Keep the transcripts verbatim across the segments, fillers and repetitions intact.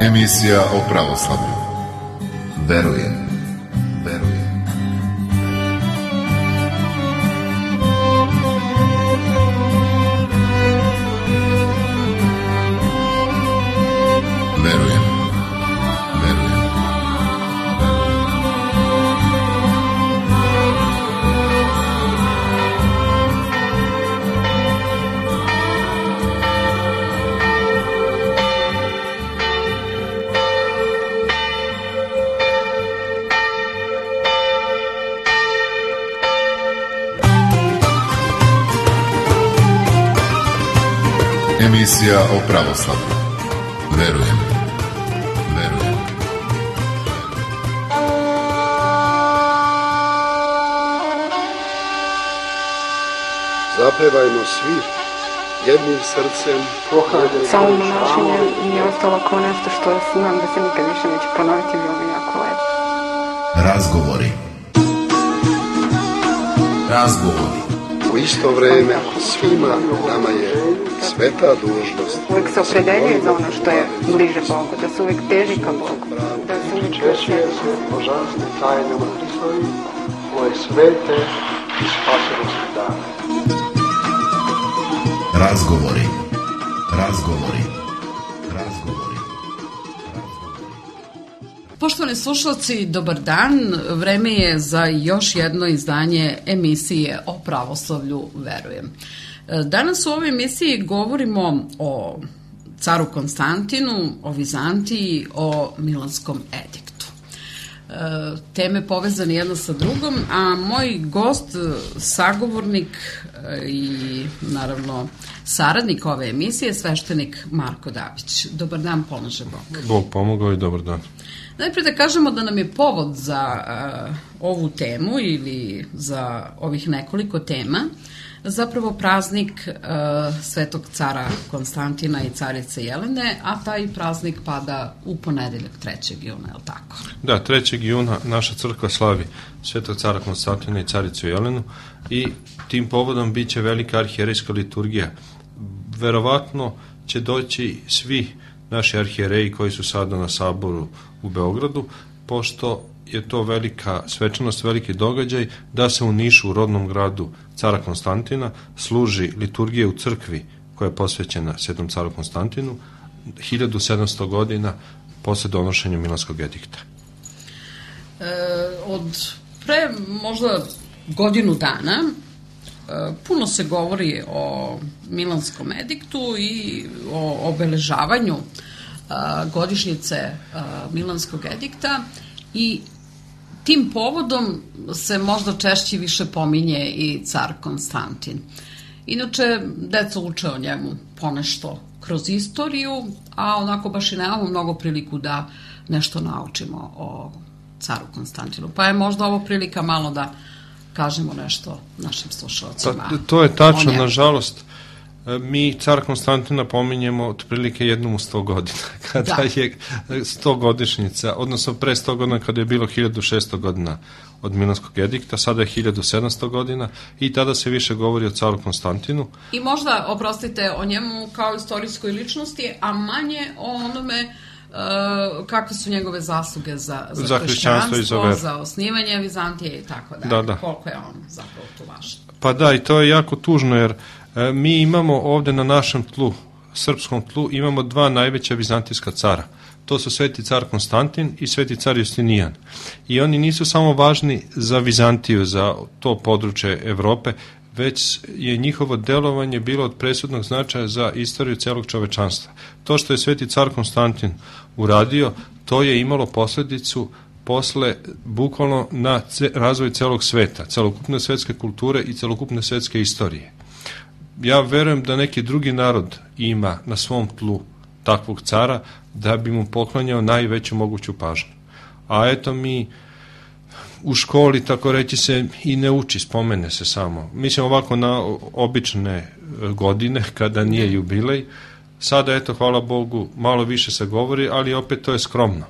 Emisija o pravoslavlju. Verujem, verujem. Verujem, verujem. Emisija o pravoslavlju. Verujem, verujem. Zapevajmo svi jednim srcem. Samo monašenje mi je ostalo kao nešto što znam da se nikad više neće ponoviti, bilo mi jako lepo. Razgovori. Razgovori. U isto vreme svima nama je sveta dužnost. Uvijek se opredeljuje za ono što je bliže Bogu, da se uvijek teži ka Bogu, da se uvijek Češće se božanstve tajne u Hristovi, koje svete i spasenosti dane. Razgovori. Razgovori. Razgovori. Poštovani slušalci, dobar dan. Vreme je za još jedno izdanje emisije o pravoslavlju Verujem. Danas u ovoj emisiji govorimo o caru Konstantinu, o Vizantiji, o Milanskom ediktu. Teme povezane jedna sa drugom, a moj gost, sagovornik i naravno saradnik ove emisije je sveštenik Marko Dabić. Dobar dan, pomože Bog. Bog pomogao i dobar dan. Najprije da kažemo da nam je povod za uh, ovu temu ili za ovih nekoliko tema zapravo praznik uh, Svetog cara Konstantina i carice Jelene, a taj praznik pada u ponedeljak trećeg juna, je li tako? Da, trećeg juna naša crkva slavi Svetog cara Konstantina i caricu Jelenu i tim povodom bit će velika arhijerejska liturgija. Verovatno će doći svi naši arhijereji koji su sada na saboru u Beogradu, pošto je to velika svečanost, veliki događaj da se u Nišu, u rodnom gradu cara Konstantina, služi liturgija u crkvi koja je posvećena Svetom caru Konstantinu hiljadu sedamsto godina posle donošenja Milanskog edikta. E, od pre možda godinu dana puno se govori o Milanskom ediktu i o obeležavanju godišnjice Milanskog edikta i tim povodom se možda češće više pominje i car Konstantin. Inače, deca uče o njemu ponešto kroz istoriju, a onako baš i nemamo mnogo priliku da nešto naučimo o caru Konstantinu. Pa je možda ovo prilika malo da kažemo nešto našim slušalcima. Pa, to je tačno, nažalost. Mi car Konstantina pominjemo otprilike jednom u sto godina, kada da. je sto godišnjica, odnosno pre sto godina kada je bilo hiljadu šesto godina od Milanskog edikta, sada je hiljadu sedamsto godina i tada se više govori o caru Konstantinu. I možda, oprostite, o njemu kao istorijskoj ličnosti, a manje o onome Uh, kakve su njegove zasluge za, za, za hrišćanstvo, za, za osnivanje Vizantije i tako dalje. Da, da. Koliko je on zapravo tu važan? Pa da, i to je jako tužno, jer e, mi imamo ovde na našem tlu, srpskom tlu, imamo dva najveća vizantijska cara. To su sveti car Konstantin i sveti car Justinijan. I oni nisu samo važni za Vizantiju, za to područje Evrope, već je njihovo delovanje bilo od presudnog značaja za istoriju celog čovečanstva. To što je sveti car Konstantin uradio, to je imalo posledicu posle bukvalno na ce, razvoj celog sveta, celokupne svetske kulture i celokupne svetske istorije. Ja verujem da neki drugi narod ima na svom tlu takvog cara da bi mu poklanjao najveću moguću pažnju. A eto mi u školi, tako reći se, i ne uči, spomene se samo. Mislim ovako na obične godine, kada nije jubilej. Sada, eto, hvala Bogu, malo više se govori, ali opet to je skromno.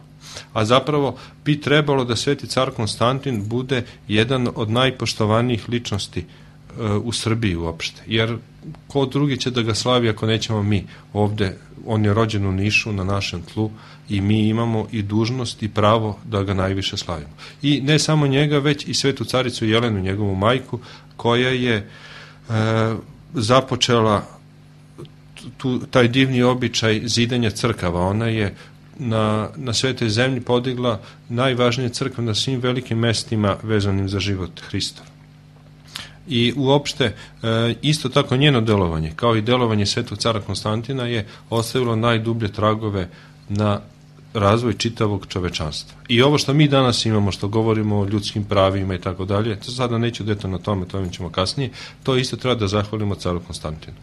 A zapravo bi trebalo da sveti car Konstantin bude jedan od najpoštovanijih ličnosti u Srbiji uopšte. Jer ko drugi će da ga slavi ako nećemo mi ovde on je rođen u Nišu na našem tlu i mi imamo i dužnost i pravo da ga najviše slavimo. I ne samo njega, već i svetu caricu Jelenu, njegovu majku, koja je e, započela tu, taj divni običaj zidanja crkava. Ona je na, na svetoj zemlji podigla najvažnije crkve na svim velikim mestima vezanim za život Hristov. I uopšte, isto tako njeno delovanje, kao i delovanje svetog cara Konstantina, je ostavilo najdublje tragove na razvoj čitavog čovečanstva. I ovo što mi danas imamo, što govorimo o ljudskim pravima i tako dalje, to sada neću detaljno na tome, to ćemo kasnije, to isto treba da zahvalimo caru Konstantinu.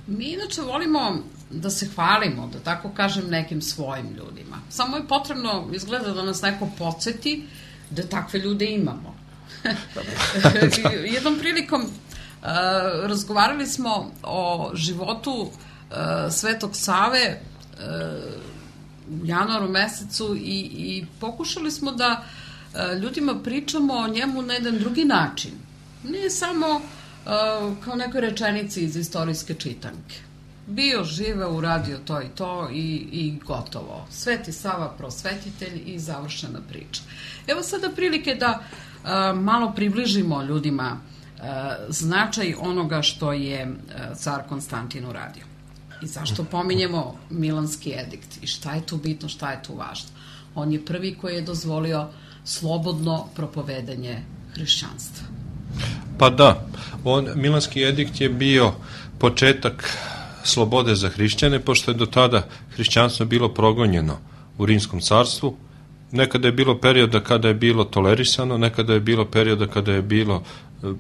Mi inače volimo da se hvalimo, da tako kažem, nekim svojim ljudima. Samo je potrebno, izgleda, da nas neko podsjeti da takve ljude imamo. Jednom prilikom uh, razgovarali smo o životu uh, Svetog Save uh, u januaru mesecu i, i pokušali smo da uh, ljudima pričamo o njemu na jedan drugi način. Nije samo uh, kao nekoj rečenici iz istorijske čitanke. Bio, živeo, uradio to i to i, i gotovo. Sveti Sava prosvetitelj i završena priča. Evo sada prilike da uh, malo približimo ljudima uh, značaj onoga što je uh, car Konstantin uradio. I zašto pominjemo Milanski edikt i šta je tu bitno, šta je tu važno. On je prvi koji je dozvolio slobodno propovedanje hrišćanstva. Pa da, on, Milanski edikt je bio početak slobode za hrišćane, pošto je do tada hrišćanstvo bilo progonjeno u Rimskom carstvu. Nekada je bilo perioda kada je bilo tolerisano, nekada je bilo perioda kada je bilo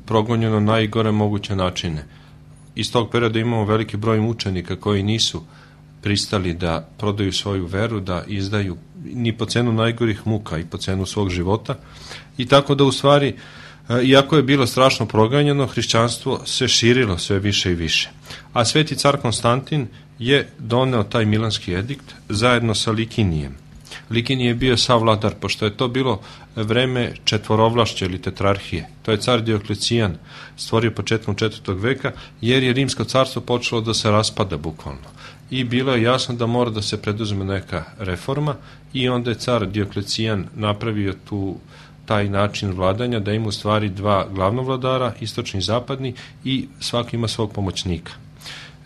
progonjeno na najgore moguće načine. Iz tog perioda imamo veliki broj mučenika koji nisu pristali da prodaju svoju veru, da izdaju ni po cenu najgorih muka i po cenu svog života. I tako da u stvari, iako je bilo strašno proganjeno, hrišćanstvo se širilo sve više i više. A sveti car Konstantin je doneo taj Milanski edikt zajedno sa Likinijem. Likinije je bio savladar, pošto je to bilo vreme četvorovlašća ili tetrarhije. To je car Dioklecijan stvorio početkom četvrtog veka, jer je Rimsko carstvo počelo da se raspada bukvalno. I bilo je jasno da mora da se preduzme neka reforma i onda je car Dioklecijan napravio tu taj način vladanja, da ima u stvari dva glavnovladara, istočni i zapadni, i svaki ima svog pomoćnika.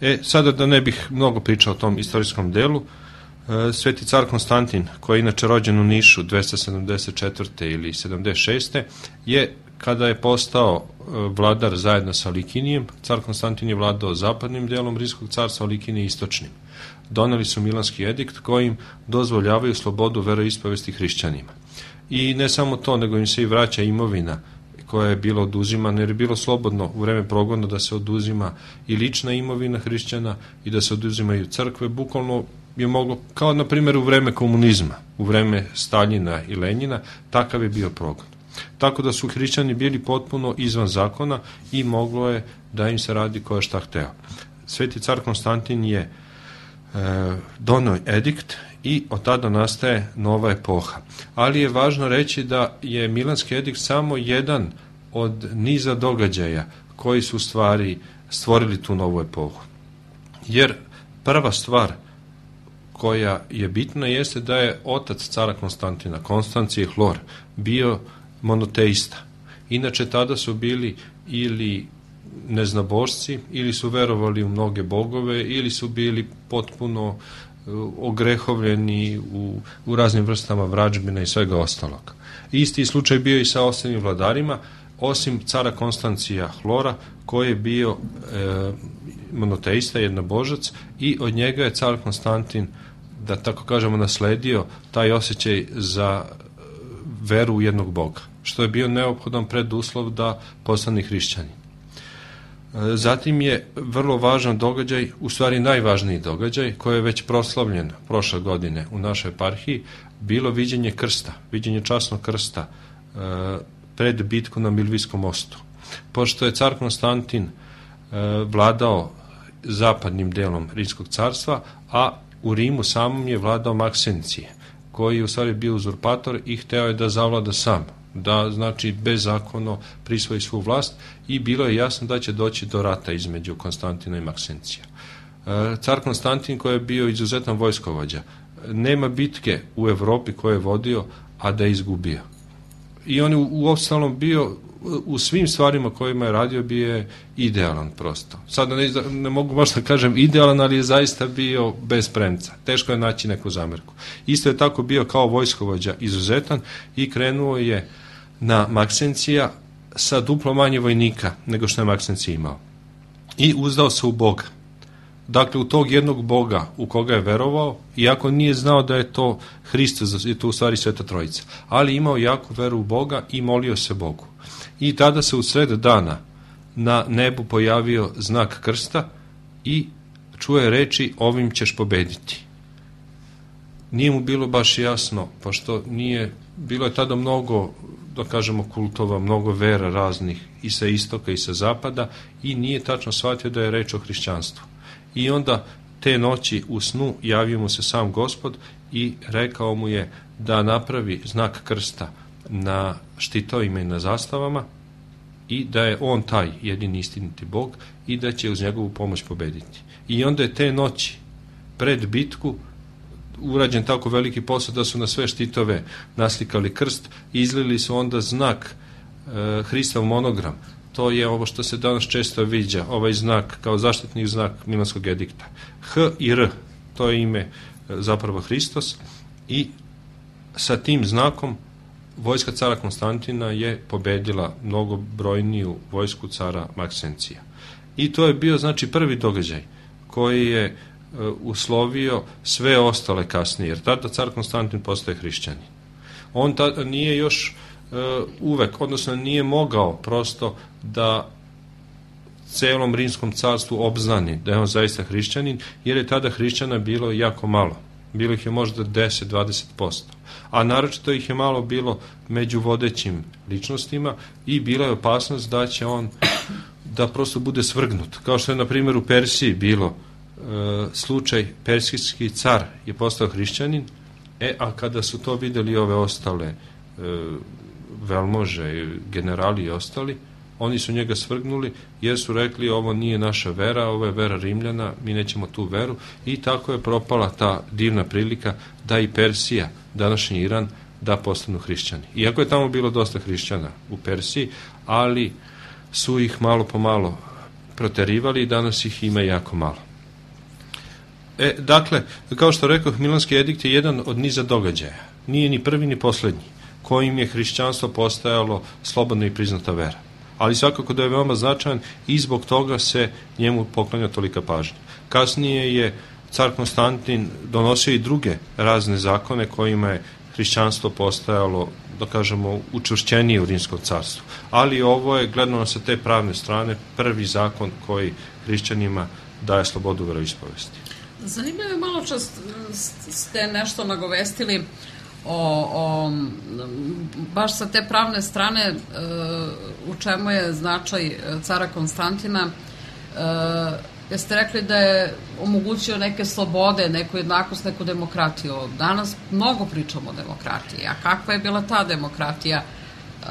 E, sada da ne bih mnogo pričao o tom istorijskom delu, sveti car Konstantin, koji je inače rođen u Nišu dvesta sedamdeset četvrte ili sedamdeset šeste je, kada je postao vladar zajedno sa Likinijem, car Konstantin je vladao zapadnim delom Rimskog carstva, Likinije istočnim. Doneli su Milanski edikt kojim dozvoljavaju slobodu veroispovesti hrišćanima. I ne samo to, nego im se i vraća imovina koja je bila oduzimana, jer je bilo slobodno u vreme progona da se oduzima i lična imovina hrišćana i da se oduzimaju crkve. Bukvalno je moglo, kao na primjer u vreme komunizma, u vreme Staljina i Lenjina, takav je bio progon. Tako da su hrišćani bili potpuno izvan zakona i moglo je da im se radi ko je šta hteo. Sveti car Konstantin je e, doneo edikt i od tada nastaje nova epoha. Ali je važno reći da je Milanski edikt samo jedan od niza događaja koji su stvari stvorili tu novu epohu. Jer prva stvar koja je bitna jeste da je otac cara Konstantina, Konstancije Hlor, bio monoteista. Inače tada su bili ili neznabošci, ili su verovali u mnoge bogove, ili su bili potpuno ogrehovljeni u, u raznim vrstama vražbina i svega ostalog. Isti slučaj bio i sa ostalim vladarima, osim cara Konstancija Hlora, koji je bio e, monoteista, jednobožac, i od njega je car Konstantin, da tako kažemo, nasledio taj osjećaj za veru u jednog Boga, što je bio neophodan preduslov da postane hrišćani. Zatim je vrlo važan događaj, u stvari najvažniji događaj, koji je već proslavljen prošle godine u našoj eparhiji, bilo viđenje krsta, viđenje časnog krsta e, pred bitku na Milvijskom mostu. Pošto je car Konstantin e, vladao zapadnim delom Rimskog carstva, a u Rimu samom je vladao Maksencije, koji je u stvari bio uzurpator i hteo je da zavlada sam, da, znači, bezakonno prisvoji svu vlast, i bilo je jasno da će doći do rata između Konstantina i Maksencija. Car Konstantin koji je bio izuzetan vojskovođa. Nema bitke u Evropi koje je vodio, a da je izgubio. I on je u ostalom bio, u svim stvarima kojima je radio, bio je idealan prosto. Sad ne, ne mogu baš da kažem idealan, ali je zaista bio bez premca. Teško je naći neku zamerku. Isto je tako bio kao vojskovođa izuzetan i krenuo je na Maksencija sa duplo manje vojnika nego što je Maksencija imao. I uzdao se u Boga. Dakle, u tog jednog Boga u koga je verovao, iako nije znao da je to Hristos, je to u stvari Sveta Trojica, ali imao jaku veru u Boga i molio se Bogu. I tada se u sred dana na nebu pojavio znak krsta i čuje reči ovim ćeš pobediti. Nije mu bilo baš jasno, pošto nije, bilo je tada mnogo, da kažemo, kultova, mnogo vera raznih i sa istoka i sa zapada i nije tačno shvatio da je reč o hrišćanstvu. I onda te noći u snu javio mu se sam Gospod i rekao mu je da napravi znak krsta na štitovima i na zastavama i da je on taj jedini istiniti Bog i da će uz njegovu pomoć pobediti. I onda je te noći pred bitku urađen tako veliki posao da su na sve štitove naslikali krst i izlili su onda znak e, Hristov monogram. To je ovo što se danas često viđa, ovaj znak kao zaštitni znak Milanskog edikta. H i R, to je ime zapravo Hristos i sa tim znakom vojska cara Konstantina je pobedila mnogobrojniju vojsku cara Maksencija. I to je bio znači prvi događaj koji je uh, uslovio sve ostale kasnije, jer tada car Konstantin postaje hrišćanin. On tada nije još uh, uvek, odnosno nije mogao prosto da celom rimskom carstvu obznani da je on zaista hrišćanin, jer je tada hrišćana bilo jako malo. Bilo ih je možda deset do dvadeset posto. A naročito ih je malo bilo među vodećim ličnostima i bila je opasnost da će on da prosto bude svrgnut. Kao što je na primjer u Persiji bilo e, slučaj, persijski car je postao hrišćanin, e, a kada su to videli ove ostale e, velmože, generali i ostali, oni su njega svrgnuli jer su rekli ovo nije naša vera, ovo je vera Rimljana, mi nećemo tu veru i tako je propala ta divna prilika da i Persija, današnji Iran, da postanu hrišćani. Iako je tamo bilo dosta hrišćana u Persiji, ali su ih malo po malo proterivali i danas ih ima jako malo. E, dakle, kao što rekao, Milanski edikt je jedan od niza događaja. Nije ni prvi ni poslednji, kojim je hrišćanstvo postajalo slobodna i priznata vera. Ali svakako da je veoma značajan i zbog toga se njemu poklanja tolika pažnja. Kasnije je car Konstantin donosio i druge razne zakone kojima je hrišćanstvo postajalo, da kažemo, učvršćenije u rimskom carstvu. Ali ovo je, gledano sa te pravne strane, prvi zakon koji hrišćanima daje slobodu veroispovesti. Zanimljivo je, malo čas ste nešto nagovestili O, o, baš sa te pravne strane e, u čemu je značaj cara Konstantina. E, jeste rekli da je omogućio neke slobode, neku jednakost, neku demokratiju. Danas mnogo pričamo o demokratiji, a kakva je bila ta demokratija e,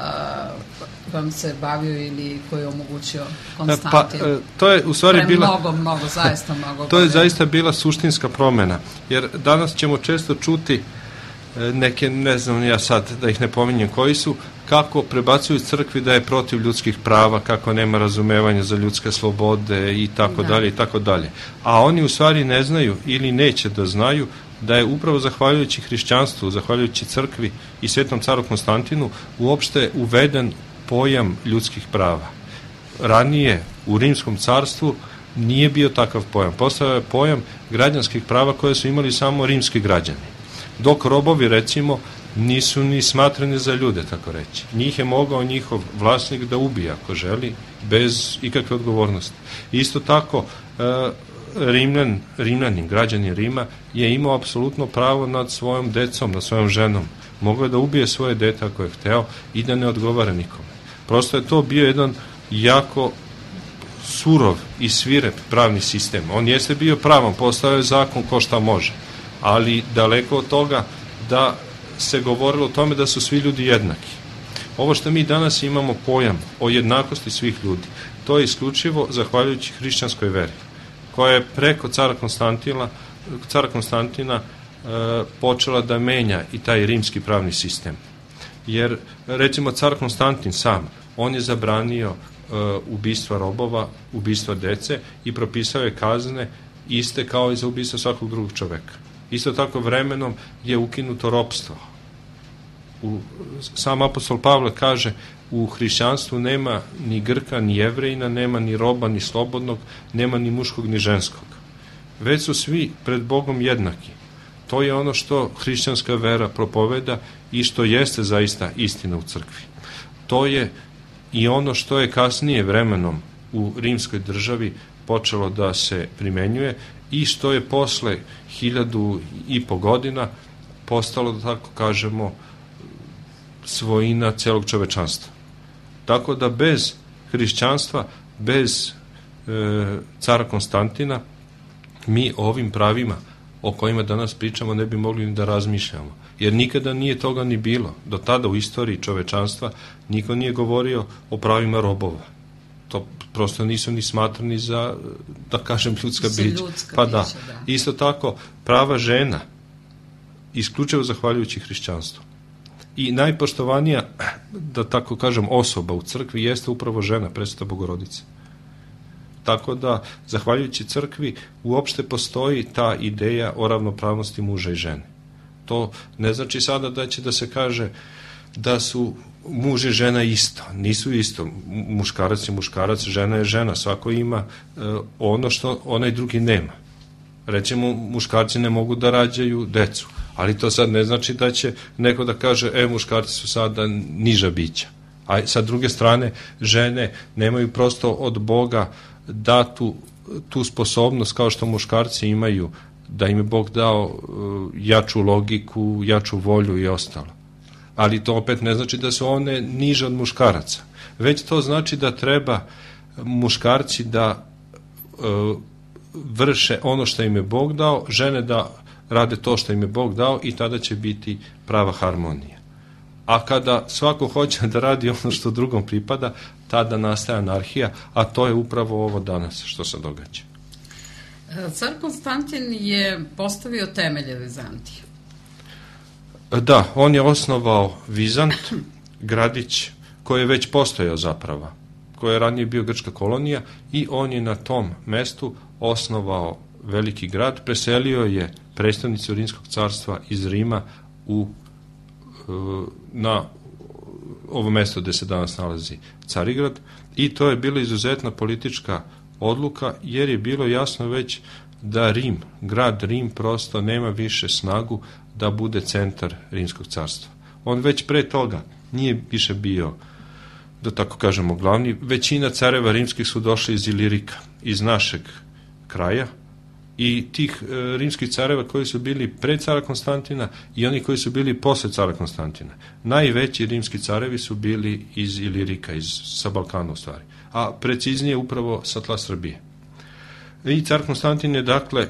kojom se bavio ili koju je omogućio Konstantin? Pa, to je u stvari Pre bila... Mnogo, mnogo, zaista mnogo. To je zaista bila suštinska promena, jer danas ćemo često čuti neke, ne znam ja sad da ih ne pominjem koji su, kako prebacuju crkvi da je protiv ljudskih prava, kako nema razumevanja za ljudske slobode i tako dalje i tako dalje. A oni u stvari ne znaju ili neće da znaju da je upravo zahvaljujući hrišćanstvu, zahvaljujući crkvi i svetom caru Konstantinu uopšte uveden pojam ljudskih prava. Ranije u rimskom carstvu nije bio takav pojam. Postao je pojam građanskih prava koje su imali samo rimski građani. Dok robovi, recimo, nisu ni smatrani za ljude, tako reći. Njih je mogao njihov vlasnik da ubije ako želi, bez ikakve odgovornosti. Isto tako, Rimljan, Rimljanin, građanin Rima, je imao apsolutno pravo nad svojom decom, nad svojom ženom. Mogao je da ubije svoje dete ako je hteo i da ne odgovara nikome. Prosto je to bio jedan jako surov i svirep pravni sistem. On jeste bio pravan, postao je zakon ko šta može, ali daleko od toga da se govorilo o tome da su svi ljudi jednaki. Ovo što mi danas imamo pojam o jednakosti svih ljudi, to je isključivo zahvaljujući hrišćanskoj veri, koja je preko cara Konstantina, cara Konstantina e, počela da menja i taj rimski pravni sistem. Jer, recimo, car Konstantin sam, on je zabranio e, ubistva robova, ubistva dece i propisao je kazne iste kao i za ubistvo svakog drugog čoveka. Isto tako vremenom je ukinuto ropstvo. U, sam apostol Pavle kaže, u hrišćanstvu nema ni Grka, ni Jevrejina, nema ni roba, ni slobodnog, nema ni muškog, ni ženskog. Već su svi pred Bogom jednaki. To je ono što hrišćanska vera propoveda i što jeste zaista istina u crkvi. To je i ono što je kasnije vremenom u rimskoj državi počelo da se primenjuje i što je posle hiljadu i po godina postalo, da tako kažemo, svojina celog čovečanstva. Tako da bez hrišćanstva, bez e, cara Konstantina, mi o ovim pravima o kojima danas pričamo ne bi mogli ni da razmišljamo. Jer nikada nije toga ni bilo. Do tada u istoriji čovečanstva niko nije govorio o pravima robova. To prosto nisu ni smatrani za, da kažem, ljudska bića. Pa da. da. Isto tako, prava žena, isključivo zahvaljujući hrišćanstvu. I najpoštovanija, da tako kažem, osoba u crkvi jeste upravo žena, Presveta Bogorodica. Tako da, zahvaljujući crkvi, uopšte postoji ta ideja o ravnopravnosti muža i žene. To ne znači sada da će da se kaže da su muž i žena isto. Nisu isto. Muškarac je muškarac, žena je žena. Svako ima e, ono što onaj drugi nema. Recimo, muškarci ne mogu da rađaju decu, ali to sad ne znači da će neko da kaže, e, muškarci su sada niža bića. A sa druge strane, žene nemaju prosto od Boga datu tu sposobnost kao što muškarci imaju, da im je Bog dao uh, jaču logiku, jaču volju i ostalo. Ali to opet ne znači da su one niže od muškaraca. Već to znači da treba muškarci da uh, vrše ono što im je Bog dao, žene da rade to što im je Bog dao i tada će biti prava harmonija. A kada svako hoće da radi ono što drugom pripada, tada nastaje anarhija, a to je upravo ovo danas što se događa. Car Konstantin je postavio temelje Vizantije. Da, on je osnovao Vizant, gradić koji je već postojao zapravo, koji je ranije bio grčka kolonija i on je na tom mestu osnovao veliki grad, preselio je predstavnicu Rimskog carstva iz Rima u, na ovo mesto gde se danas nalazi Carigrad i to je bila izuzetna politička odluka jer je bilo jasno već da Rim, grad Rim prosto nema više snagu da bude centar Rimskog carstva. On već pre toga nije više bio, da tako kažemo, glavni. Većina careva rimskih su došli iz Ilirika, iz našeg kraja i tih e, rimskih careva koji su bili pre cara Konstantina i oni koji su bili posle cara Konstantina. Najveći rimski carevi su bili iz Ilirika, iz, sa Balkana u stvari, a preciznije upravo sa tla Srbije. I car Konstantin je dakle e,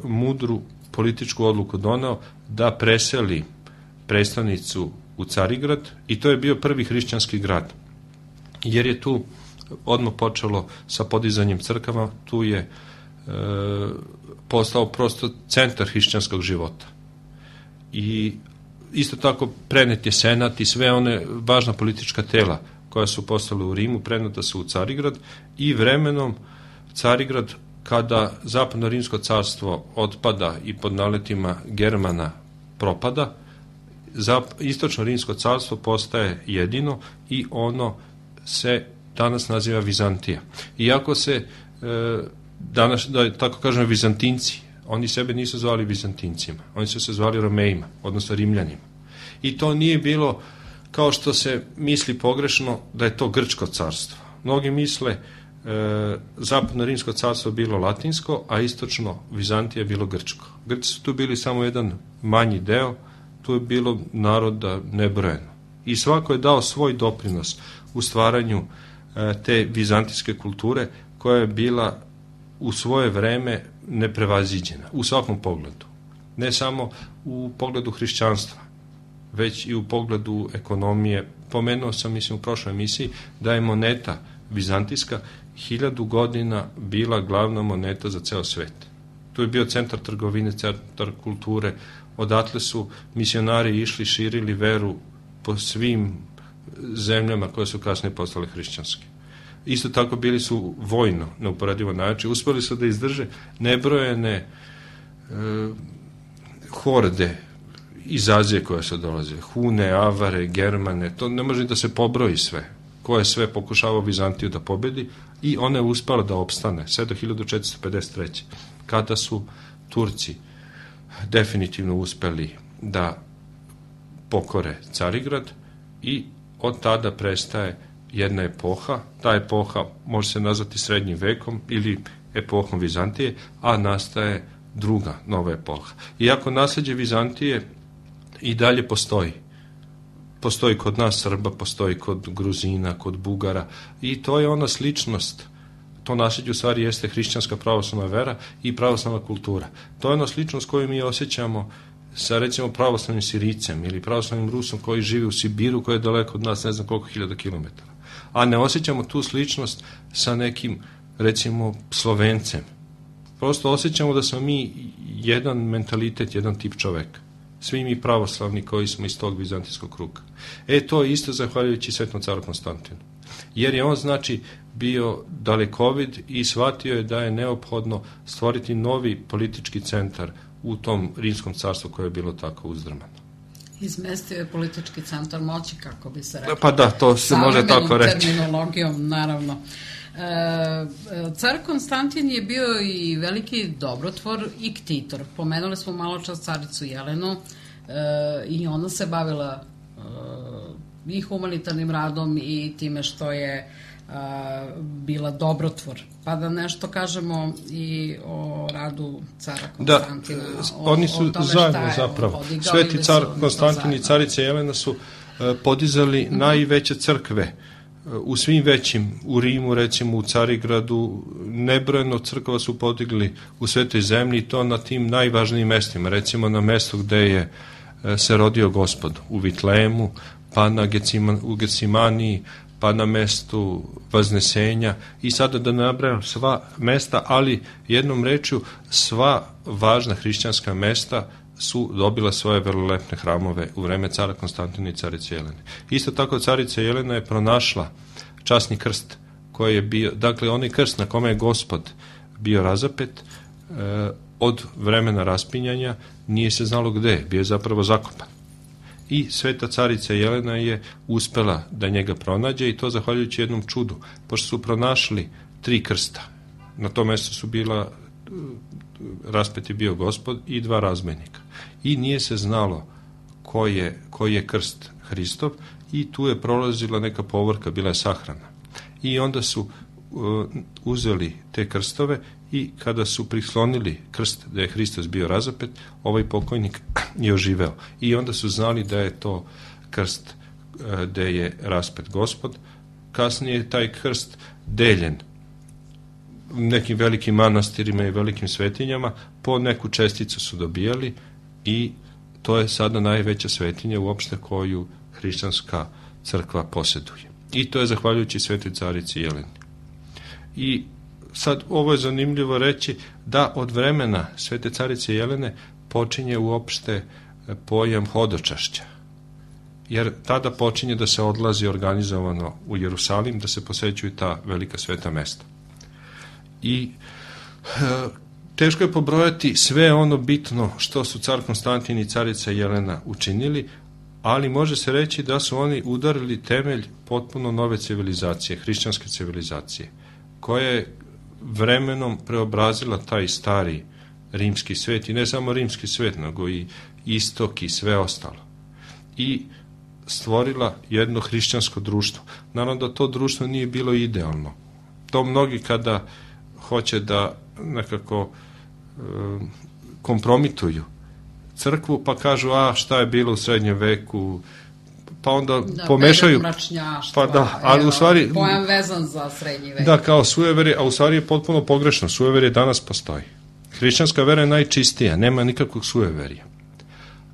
mudru političku odluku doneo da preseli predstavnicu u Carigrad i to je bio prvi hrišćanski grad. Jer je tu odmah počelo sa podizanjem crkava, tu je e, postao prosto centar hrišćanskog života. I isto tako prenet je senat i sve one važna politička tela koja su postala u Rimu, preneta su u Carigrad i vremenom Carigrad, kada zapadno rimsko carstvo otpada i pod naletima Germana propada, istočno rimsko carstvo postaje jedino i ono se danas naziva Vizantija. Iako se e, danas, da tako kažem, Vizantinci, oni sebe nisu zvali Vizantincima, oni su se zvali Romejima, odnosno Rimljanima. I to nije bilo kao što se misli pogrešno da je to grčko carstvo. Mnogi misle e, zapadno rimsko carstvo bilo latinsko, a istočno Vizantija je bilo grčko. Grci su tu bili samo jedan manji deo, tu je bilo naroda nebrojeno. I svako je dao svoj doprinos u stvaranju e, te vizantijske kulture koja je bila u svoje vreme neprevaziđena u svakom pogledu. Ne samo u pogledu hrišćanstva, već i u pogledu ekonomije. Pomenuo sam, mislim, u prošloj emisiji da je moneta vizantijska hiljadu godina bila glavna moneta za ceo svet. Tu je bio centar trgovine, centar kulture, odatle su misionari išli, širili veru po svim zemljama koje su kasnije postale hrišćanske. Isto tako bili su vojno, neuporedivo način, uspeli su da izdrže nebrojene e, horde iz Azije koje su dolazile, Hune, Avare, Germane, to ne može da se pobroji sve, ko je sve pokušavao Vizantiju da pobedi i ona je uspela da opstane sve do hiljadu četiristo pedeset treće kada su Turci definitivno uspeli da pokore Carigrad i od tada prestaje jedna epoha, ta epoha može se nazvati srednjim vekom ili epohom Vizantije, a nastaje druga nova epoha. Iako nasleđe Vizantije i dalje postoji. Postoji kod nas Srba, postoji kod Gruzina, kod Bugara i to je ona sličnost. To nasleđe u stvari jeste hrišćanska pravoslavna vera i pravoslavna kultura. To je ona sličnost koju mi osjećamo sa recimo pravoslavnim Sirijcem ili pravoslavnim Rusom koji živi u Sibiru, koji je daleko od nas ne znam koliko hiljada kilometara. A ne osjećamo tu sličnost sa nekim recimo Slovencem. Prosto osjećamo da smo mi jedan mentalitet, jedan tip čoveka. Svi mi pravoslavni koji smo iz tog vizantijskog kruga. E, to je isto zahvaljujući Svetom caru Konstantinu. Jer je on, znači, bio dalekovid i shvatio je da je neophodno stvoriti novi politički centar u tom rimskom carstvu koje je bilo tako uzdrmano. Izmestio je politički centar moći, kako bi se rekao. Pa da, to se može tako reći. Terminologijom, naravno. E, car Konstantin je bio i veliki dobrotvor i ktitor. Pomenuli smo malo čas caricu Jelenu e, i ona se bavila e, i humanitarnim radom i time što je a, bila dobrotvor. Pa da nešto kažemo i o radu cara Konstantina. Da, o, oni su zajedno zapravo. Sveti car Konstantin i carica Jelena su a, podizali mm-hmm. najveće crkve u svim većim, u Rimu, recimo u Carigradu, nebrojeno crkva su podigli u Svetoj zemlji i to na tim najvažnijim mestima, recimo na mestu gde je se rodio Gospod, u Vitlemu, pa na Gecima, u Gecimaniji, pa na mestu Vaznesenja i sada da nabrajam sva mesta, ali jednom rečju sva važna hrišćanska mesta su dobila svoje velelepne hramove u vreme cara Konstantina i carice Jelene. Isto tako carica Jelena je pronašla časni krst koji je bio, dakle onaj krst na kome je Gospod bio razapet eh, od vremena raspinjanja nije se znalo gde, bio je zapravo zakopan. I sveta carica Jelena je uspela da njega pronađe i to zahvaljujući jednom čudu, pošto su pronašli tri krsta. Na tom mjestu su bila raspet je bio Gospod i dva razbojnika. I nije se znalo ko je, koji je krst Hristov i tu je prolazila neka povorka, bila je sahrana. I onda su uh, uzeli te krstove i kada su prislonili krst da je Hristos bio razapet, ovaj pokojnik je oživeo. I onda su znali da je to krst uh, gde je raspet Gospod. Kasnije je taj krst deljen nekim velikim manastirima i velikim svetinjama, po neku česticu su dobijali i to je sada najveća svetinja uopšte koju hrišćanska crkva posjeduje. I to je zahvaljujući svetoj carici Jeleni. I sad ovo je zanimljivo reći da od vremena svete carice Jelene počinje uopšte pojam hodočašća. Jer tada počinje da se odlazi organizovano u Jerusalim, da se posećuju ta velika sveta mesta. I e, teško je pobrojati sve ono bitno što su car Konstantin i carica Jelena učinili, ali može se reći da su oni udarili temelj potpuno nove civilizacije, hrišćanske civilizacije, koja je vremenom preobrazila taj stari rimski svet i ne samo rimski svet, nego i istok i sve ostalo. I stvorila jedno hrišćansko društvo. Naravno da to društvo nije bilo idealno. To mnogi kada hoće da nekako e, kompromituju crkvu, pa kažu, a šta je bilo u srednjem veku, pa onda da, pomešaju. Pa da, ali evo, u stvari pojam vezan za srednji vek. Da, kao sujeverje, a u stvari je potpuno pogrešno. Sujeverje danas postoji. Hrišćanska vera je najčistija, nema nikakvog sujeverja.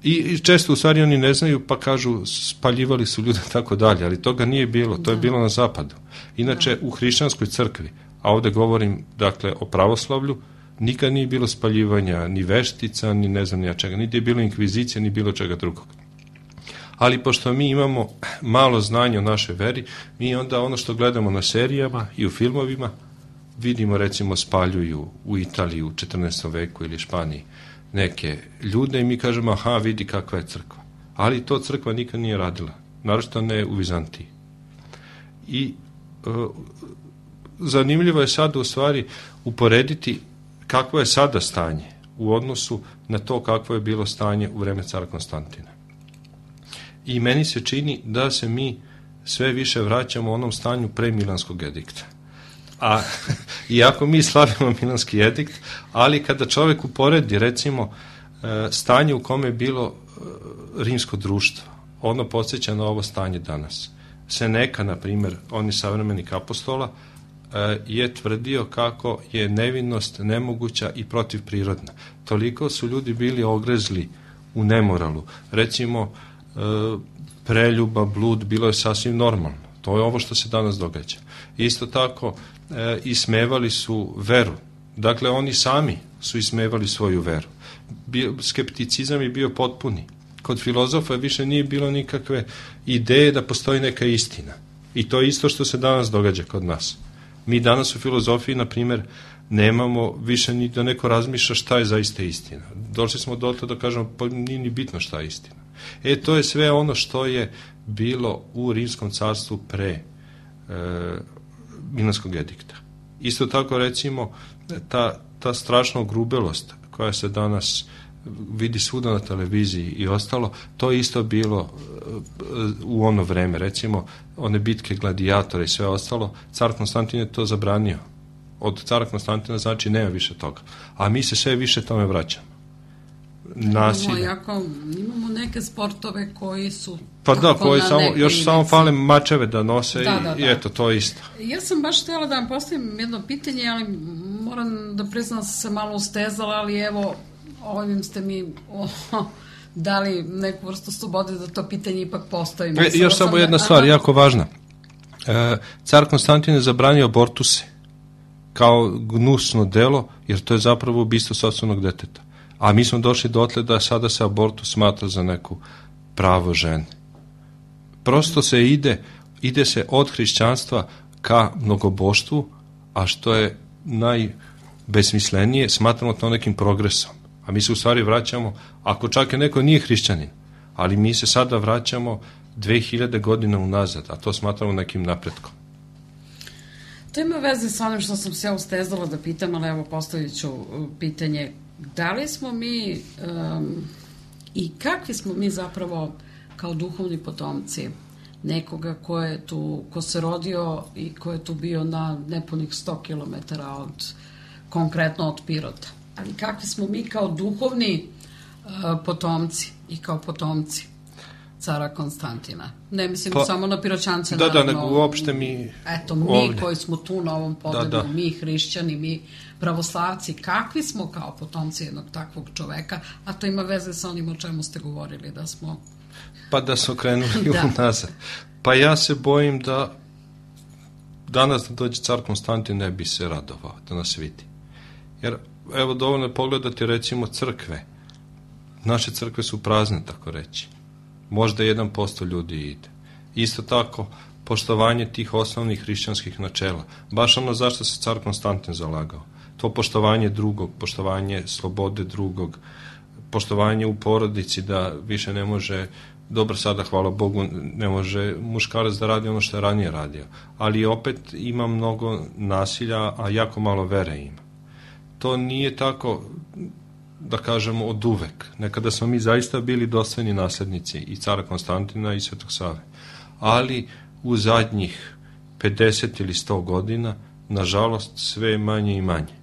I, I često u stvari oni ne znaju, pa kažu spaljivali su ljude tako dalje, ali toga nije bilo, to da. je bilo na zapadu. Inače, da. u hrišćanskoj crkvi a ovde govorim, dakle, o pravoslavlju, nikad nije bilo spaljivanja ni veštica, ni ne znam ni ja čega, niti je bilo inkvizicija, ni bilo čega drugog. Ali pošto mi imamo malo znanja o našoj veri, mi onda ono što gledamo na serijama i u filmovima, vidimo, recimo, spaljuju u Italiji u četrnaestom veku ili Španiji neke ljude i mi kažemo, aha, vidi kakva je crkva. Ali to crkva nikad nije radila, naročito ne u Vizantiji. I e, zanimljivo je sada u stvari uporediti kakvo je sada stanje u odnosu na to kakvo je bilo stanje u vreme cara Konstantina. I meni se čini da se mi sve više vraćamo u onom stanju pre Milanskog edikta. A iako mi slavimo Milanski edikt, ali kada čovjek uporedi, recimo, stanje u kome je bilo rimsko društvo, ono podsjeća na ovo stanje danas. Seneka, na primjer, on je savremenik apostola, je tvrdio kako je nevinost nemoguća i protivprirodna. Toliko su ljudi bili ogrezli u nemoralu. Recimo, preljuba, blud, bilo je sasvim normalno. To je ovo što se danas događa. Isto tako, e, ismevali su veru. Dakle, oni sami su ismevali svoju veru. Bio, skepticizam je bio potpuni. Kod filozofa više nije bilo nikakve ideje da postoji neka istina. I to je isto što se danas događa kod nas. Mi danas u filozofiji, na primjer, nemamo više ni da neko razmišlja šta je zaista istina. Došli smo do toga da kažemo, pa nije ni bitno šta je istina. E, to je sve ono što je bilo u Rimskom carstvu pre e, Milanskog edikta. Isto tako, recimo, ta, ta strašna ogrubelost koja se danas vidi svuda na televiziji i ostalo, to je isto bilo u ono vreme. Recimo, one bitke gladijatora i sve ostalo, car Konstantin je to zabranio. Od cara Konstantina znači nema više toga. A mi se sve više tome vraćamo. Nasilje. Imamo, jako, imamo neke sportove koji su pa da, koji samo, još inici. Samo fale mačeve da nose da, i, da, da. I eto, to je isto. Ja sam baš htjela da vam postavim jedno pitanje, ali moram da priznam da sam se malo ustezala, ali evo, ovim ste mi oh, dali neku vrstu slobode da to pitanje ipak postavim. E, još samo jedna da, stvar, aha. jako važna. E, car Konstantin je zabranio abortuse kao gnusno delo, jer to je zapravo ubistvo sopstvenog deteta. A mi smo došli dotle da sada se abortus smatra za neku pravo žene. Prosto se ide, ide se od hrišćanstva ka mnogoboštvu, a što je najbesmislenije, smatramo to nekim progresom. A mi se u stvari vraćamo, ako čak je neko nije hrišćanin, ali mi se sada vraćamo dve hiljade godina unazad, a to smatramo nekim napretkom. To ima veze sa onim što sam se ja ustezala da pitam, ali evo postavit ću pitanje. Da li smo mi um, i kakvi smo mi zapravo kao duhovni potomci nekoga ko je tu, ko se rodio i ko je tu bio na nepunih sto kilometara od, konkretno od Pirota. Ali kakvi smo mi kao duhovni uh, potomci i kao potomci cara Konstantina. Ne mislim pa, samo na Piroćance. Da, naravno, da, nego uopšte mi... Eto, mi ovdje. Koji smo tu na ovom podedu, da, da. Mi hrišćani, mi pravoslavci, kakvi smo kao potomci jednog takvog čoveka, a to ima veze sa onim o čemu ste govorili, da smo... Pa da su krenuli da. Nazad. Pa ja se bojim da danas da dođe car Konstantin ne bi se radovao da nas vidi. Jer, evo, dovoljno je pogledati recimo crkve. Naše crkve su prazne, tako reći. Možda jedan posto ljudi ide. Isto tako, poštovanje tih osnovnih hrišćanskih načela. Baš ono zašto se car Konstantin zalagao. To poštovanje drugog, poštovanje slobode drugog, poštovanje u porodici da više ne može, dobro sada, hvala Bogu, ne može muškarac da radi ono što je ranije radio. Ali opet ima mnogo nasilja, a jako malo vere ima. To nije tako, da kažemo, od uvek. Nekada smo mi zaista bili dostojni naslednici i cara Konstantina i Svetog Save. Ali u zadnjih pedeset ili sto godina, nažalost, sve manje i manje.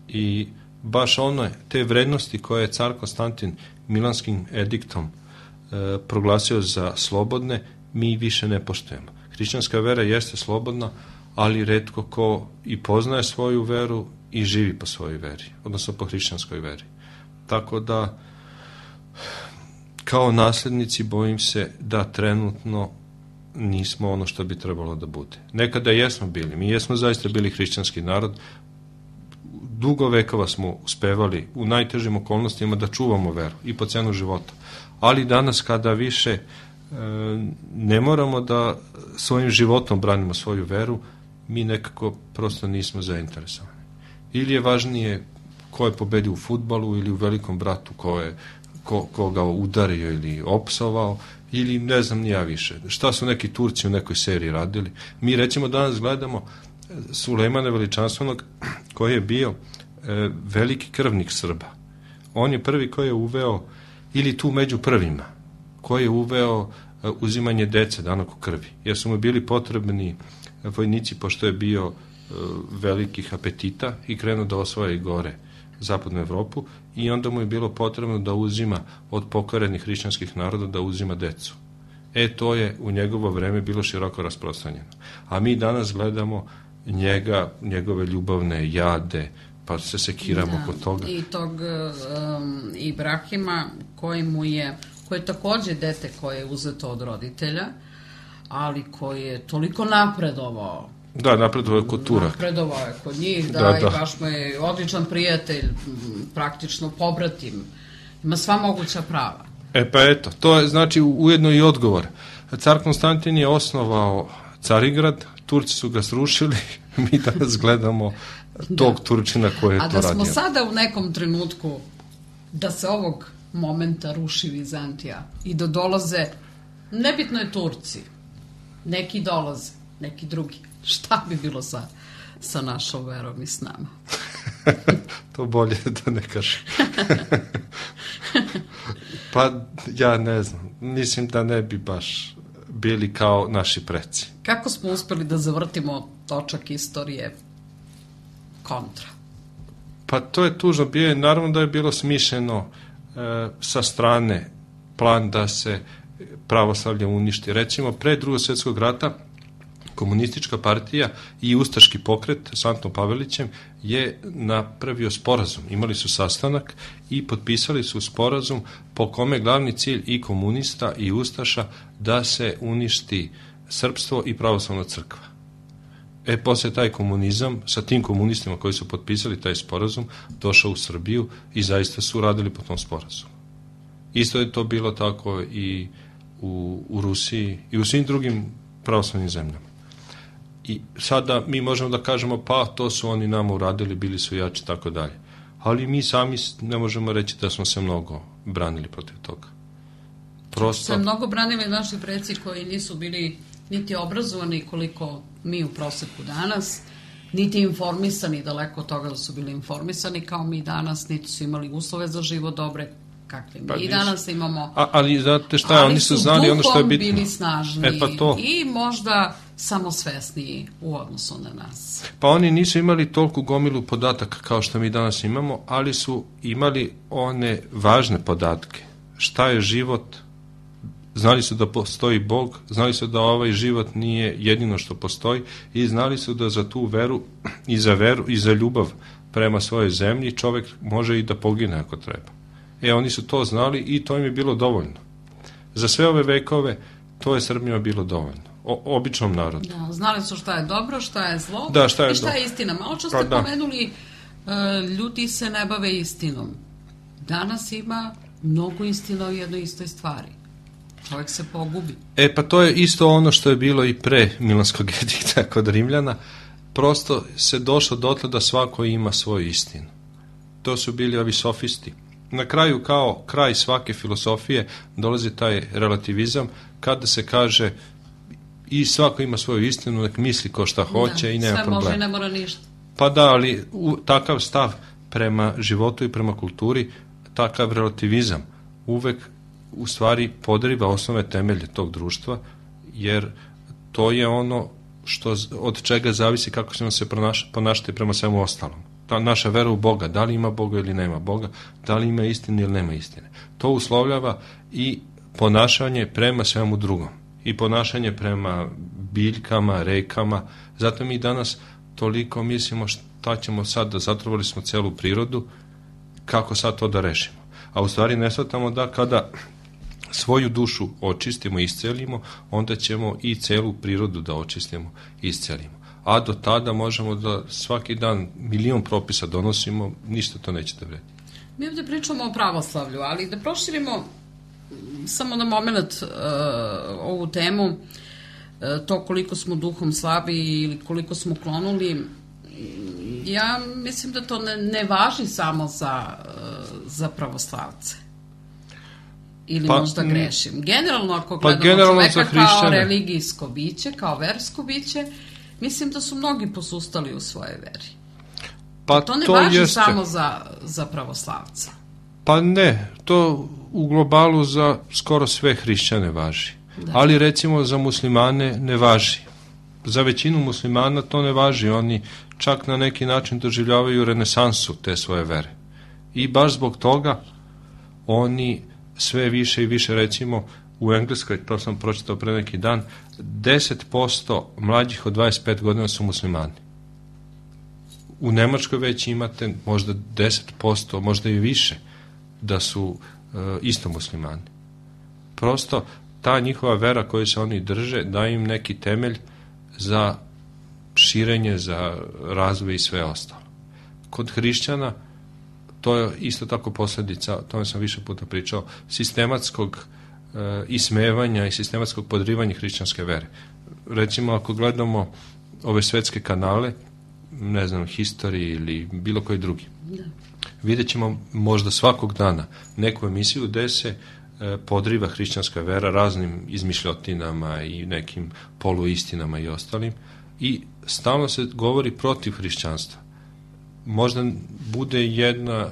I baš ono, te vrednosti koje je car Konstantin Milanskim ediktom e, proglasio za slobodne, mi više ne poštujemo. Hrišćanska vera jeste slobodna, ali retko ko i poznaje svoju veru i živi po svojoj veri, odnosno po hrišćanskoj veri. Tako da, kao naslednici, bojim se da trenutno nismo ono što bi trebalo da bude. Nekada jesmo bili, mi jesmo zaista bili hrišćanski narod, dugo vekova smo uspevali u najtežim okolnostima da čuvamo veru i po cenu života. Ali danas kada više e, ne moramo da svojim životom branimo svoju veru, mi nekako prosto nismo zainteresovani. Ili je važnije ko je pobedio u fudbalu ili u Velikom bratu, ko je ko, ko ga udario ili opsovao, ili ne znam ni ja više. Šta su neki Turci u nekoj seriji radili? Mi recimo danas gledamo Sulejmana Veličanstvenog, koji je bio e, veliki krvnik Srba. On je prvi koji je uveo, ili tu među prvima, koji je uveo e, uzimanje dece danog u krvi. Jer su mu bili potrebni vojnici, pošto je bio e, velikih apetita i krenuo da osvaja i gore zapadnu Evropu, i onda mu je bilo potrebno da uzima od pokorenih hrišćanskih naroda, da uzima decu. E, to je u njegovo vreme bilo široko rasprostranjeno. A mi danas gledamo njega, njegove ljubavne jade, pa se sekiramo da, kod toga. I tog um, Ibrahima, koji mu je, koji je takođe dete koje je uzeto od roditelja, ali koji je toliko napredovao. Da, napredovao je kod Turaka. Napredovao je kod njih, da, da, i da. baš mu je odličan prijatelj, praktično pobratim. Ima sva moguća prava. E pa eto, to je znači ujedno i odgovor. Car Konstantin je osnovao Carigrad, Turci su ga srušili, mi danas gledamo tog da. Turčina koji je to radio. A da smo radio. Sada u nekom trenutku da se ovog momenta ruši Vizantija i da dolaze, nebitno je Turci, neki dolaze, neki drugi. Šta bi bilo sa, sa našom verom i s nama? To bolje da ne kažem. Pa ja ne znam, mislim da ne bi baš bili kao naši preci. Kako smo uspeli da zavrtimo točak istorije kontra? Pa to je tužno. Bio je, naravno da je bilo smišljeno e, sa strane plan da se pravoslavlje uništi. Recimo, pre Drugog svjetskog rata Komunistička partija i ustaški pokret s Antom Pavelićem je napravio sporazum. Imali su sastanak i potpisali su sporazum po kome glavni cilj i komunista i ustaša da se uništi srpstvo i pravoslavna crkva. E, posle taj komunizam, sa tim komunistima koji su potpisali taj sporazum, došao u Srbiju i zaista su radili po tom sporazumu. Isto je to bilo tako i u, u Rusiji i u svim drugim pravoslavnim zemljama. I sada mi možemo da kažemo, pa to su oni nama uradili, bili su jači, tako dalje. Ali mi sami ne možemo reći da smo se mnogo branili protiv toga. Prosto... Se mnogo branili naši preci koji nisu bili niti obrazovani koliko mi u proseku danas, niti informisani, daleko od toga da su bili informisani kao mi danas, niti su imali uslove za život dobre, kakve mi pa i danas imamo. A, ali znate šta, ali oni su znali ono što je bitno. Ali su duhom bili snažni e, pa to. I možda samosvesniji u odnosu na nas. Pa oni nisu imali toliko gomilu podataka kao što mi danas imamo, ali su imali one važne podatke. Šta je život? Znali su da postoji Bog, znali su da ovaj život nije jedino što postoji i znali su da za tu veru i za veru i za ljubav prema svojoj zemlji čovek može i da pogine ako treba. E, oni su to znali i to im je bilo dovoljno. Za sve ove vekove to je Srbima bilo dovoljno. O, običnom narodu. Da, znali su šta je dobro, šta je zlo da, šta je i šta do... je istina. Malo što ste pa, pomenuli, uh, ljudi se ne bave istinom. Danas ima mnogo istina o jednoj istoj stvari. Čovjek se pogubi. E, pa to je isto ono što je bilo i pre Milanskog edikta kod Rimljana. Prosto se došlo dotle da svako ima svoju istinu. To su bili ovi sofisti. Na kraju, kao kraj svake filosofije, dolazi taj relativizam, kada se kaže i svako ima svoju istinu, nek misli ko šta hoće da, i nema problema. Sve može i ne mora ništa. Pa da, ali u, takav stav prema životu i prema kulturi, takav relativizam uvek u stvari podriva osnove temelje tog društva, jer to je ono što, od čega zavisi kako ćemo se ponašati prema svemu ostalom. Ta naša vera u Boga, da li ima Boga ili nema Boga, da li ima istine ili nema istine. To uslovljava i ponašanje prema svemu drugom. I ponašanje prema biljkama, rekama. Zato mi danas toliko mislimo šta ćemo sad, da zatrovali smo celu prirodu, kako sad to da rešimo. A u stvari ne shvatamo da kada svoju dušu očistimo, iscelimo, onda ćemo i celu prirodu da očistimo i iscelimo. A do tada možemo da svaki dan milion propisa donosimo, ništa to neće da vredi. Mi ovdje pričamo o pravoslavlju, ali da proširimo samo na moment uh, ovu temu, uh, to koliko smo duhom slabi ili koliko smo klonuli, ja mislim da to ne, ne važi samo za, uh, za pravoslavce. Ili pa, možda grešim. Generalno, ako gledamo pa generalno čoveka kao religijsko biće, kao versko biće, mislim da su mnogi posustali u svojoj veri. Pa to ne to važi jeste. Samo za, za pravoslavce. Pa ne, to u globalu za skoro sve hrišćane važi. Da. Ali recimo za muslimane ne važi. Za većinu muslimana to ne važi. Oni čak na neki način doživljavaju renesansu te svoje vere. I baš zbog toga oni sve više i više, recimo u Engleskoj, to sam pročitao pre neki dan, deset posto mlađih od dvadeset pet godina su muslimani. U Nemačkoj već imate možda deset posto, možda i više, da su e, isto muslimani. Prosto ta njihova vera koju se oni drže daje im neki temelj za širenje, za razvoj i sve ostalo. Kod hrišćana to je isto tako posljedica, o tome sam više puta pričao, sistematskog e, ismevanja i sistematskog podrivanja hrišćanske vere. Recimo, ako gledamo ove svetske kanale, ne znam, History ili bilo koji drugi, da. Vidjet ćemo možda svakog dana neku emisiju gde se e, podriva hrišćanska vera raznim izmišljotinama i nekim poluistinama i ostalim, i stalno se govori protiv hrišćanstva. Možda bude jedna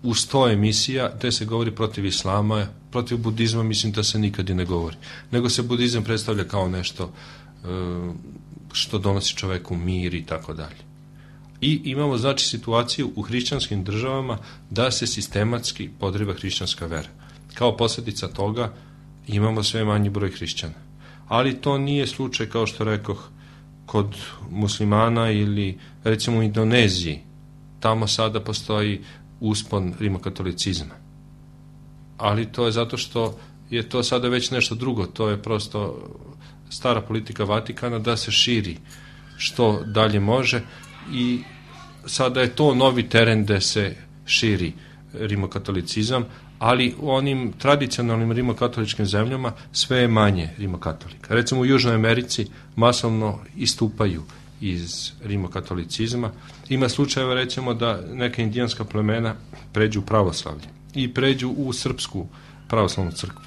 u sto emisija gde se govori protiv islama, protiv budizma mislim da se nikad i ne govori. Nego se budizam predstavlja kao nešto e, što donosi čoveku mir i tako dalje. I imamo znači situaciju u hrišćanskim državama da se sistematski podriva hrišćanska vera. Kao posljedica toga imamo sve manji broj hrišćana. Ali to nije slučaj, kao što rekoh, kod muslimana ili recimo u Indoneziji. Tamo sada postoji uspon rimokatolicizma. Ali to je zato što je to sada već nešto drugo. To je prosto stara politika Vatikana da se širi što dalje može i sada je to novi teren gde se širi rimokatolicizam, ali u onim tradicionalnim rimokatoličkim zemljama sve je manje rimokatolika. Recimo u Južnoj Americi masovno istupaju iz rimokatolicizma. Ima slučajeva recimo da neka indijanska plemena pređu u pravoslavlje i pređu u srpsku pravoslavnu crkvu.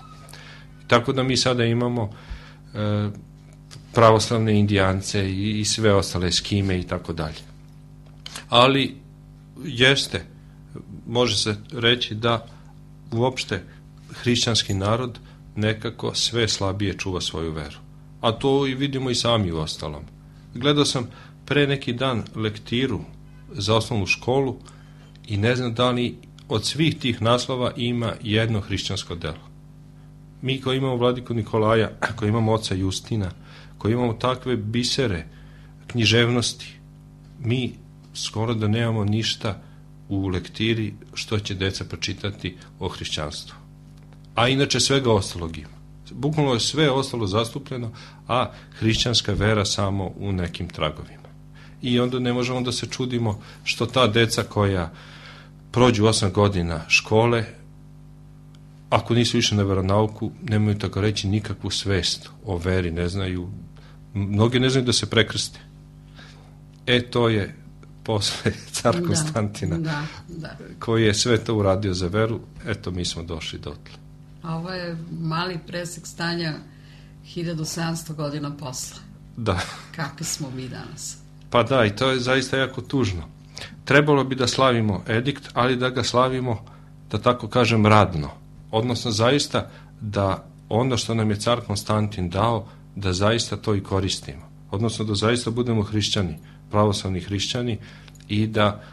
Tako da mi sada imamo e, pravoslavne indijance i, i sve ostale skime i tako dalje. Ali jeste, može se reći da uopšte hrišćanski narod nekako sve slabije čuva svoju veru. A to i vidimo i sami u ostalom. Gledao sam pre neki dan lektiru za osnovnu školu i ne znam da li od svih tih naslova ima jedno hrišćansko delo. Mi koji imamo vladiku Nikolaja, koji imamo oca Justina, koji imamo takve bisere književnosti, mi skoro da nemamo ništa u lektiri što će deca pročitati o hrišćanstvu. A inače svega ostalog ima. Bukvalno je sve ostalo zastupljeno, a hrišćanska vera samo u nekim tragovima. I onda ne možemo da se čudimo što ta deca koja prođu osam godina škole, ako nisu išli na veronauku, nemaju tako reći nikakvu svest o veri, ne znaju, mnogi ne znaju da se prekrste. E, to je posle car da, Konstantina, da, da. koji je sve to uradio za veru, eto mi smo došli dotle. A ovo je mali presek stanja hiljadu sedamsto godina posle. Da. Kakvi smo mi danas? Pa da, i to je zaista jako tužno. Trebalo bi da slavimo edikt, ali da ga slavimo, da tako kažem, radno. Odnosno zaista da ono što nam je car Konstantin dao, da zaista to i koristimo. Odnosno da zaista budemo hrišćani, pravoslavni hrišćani i da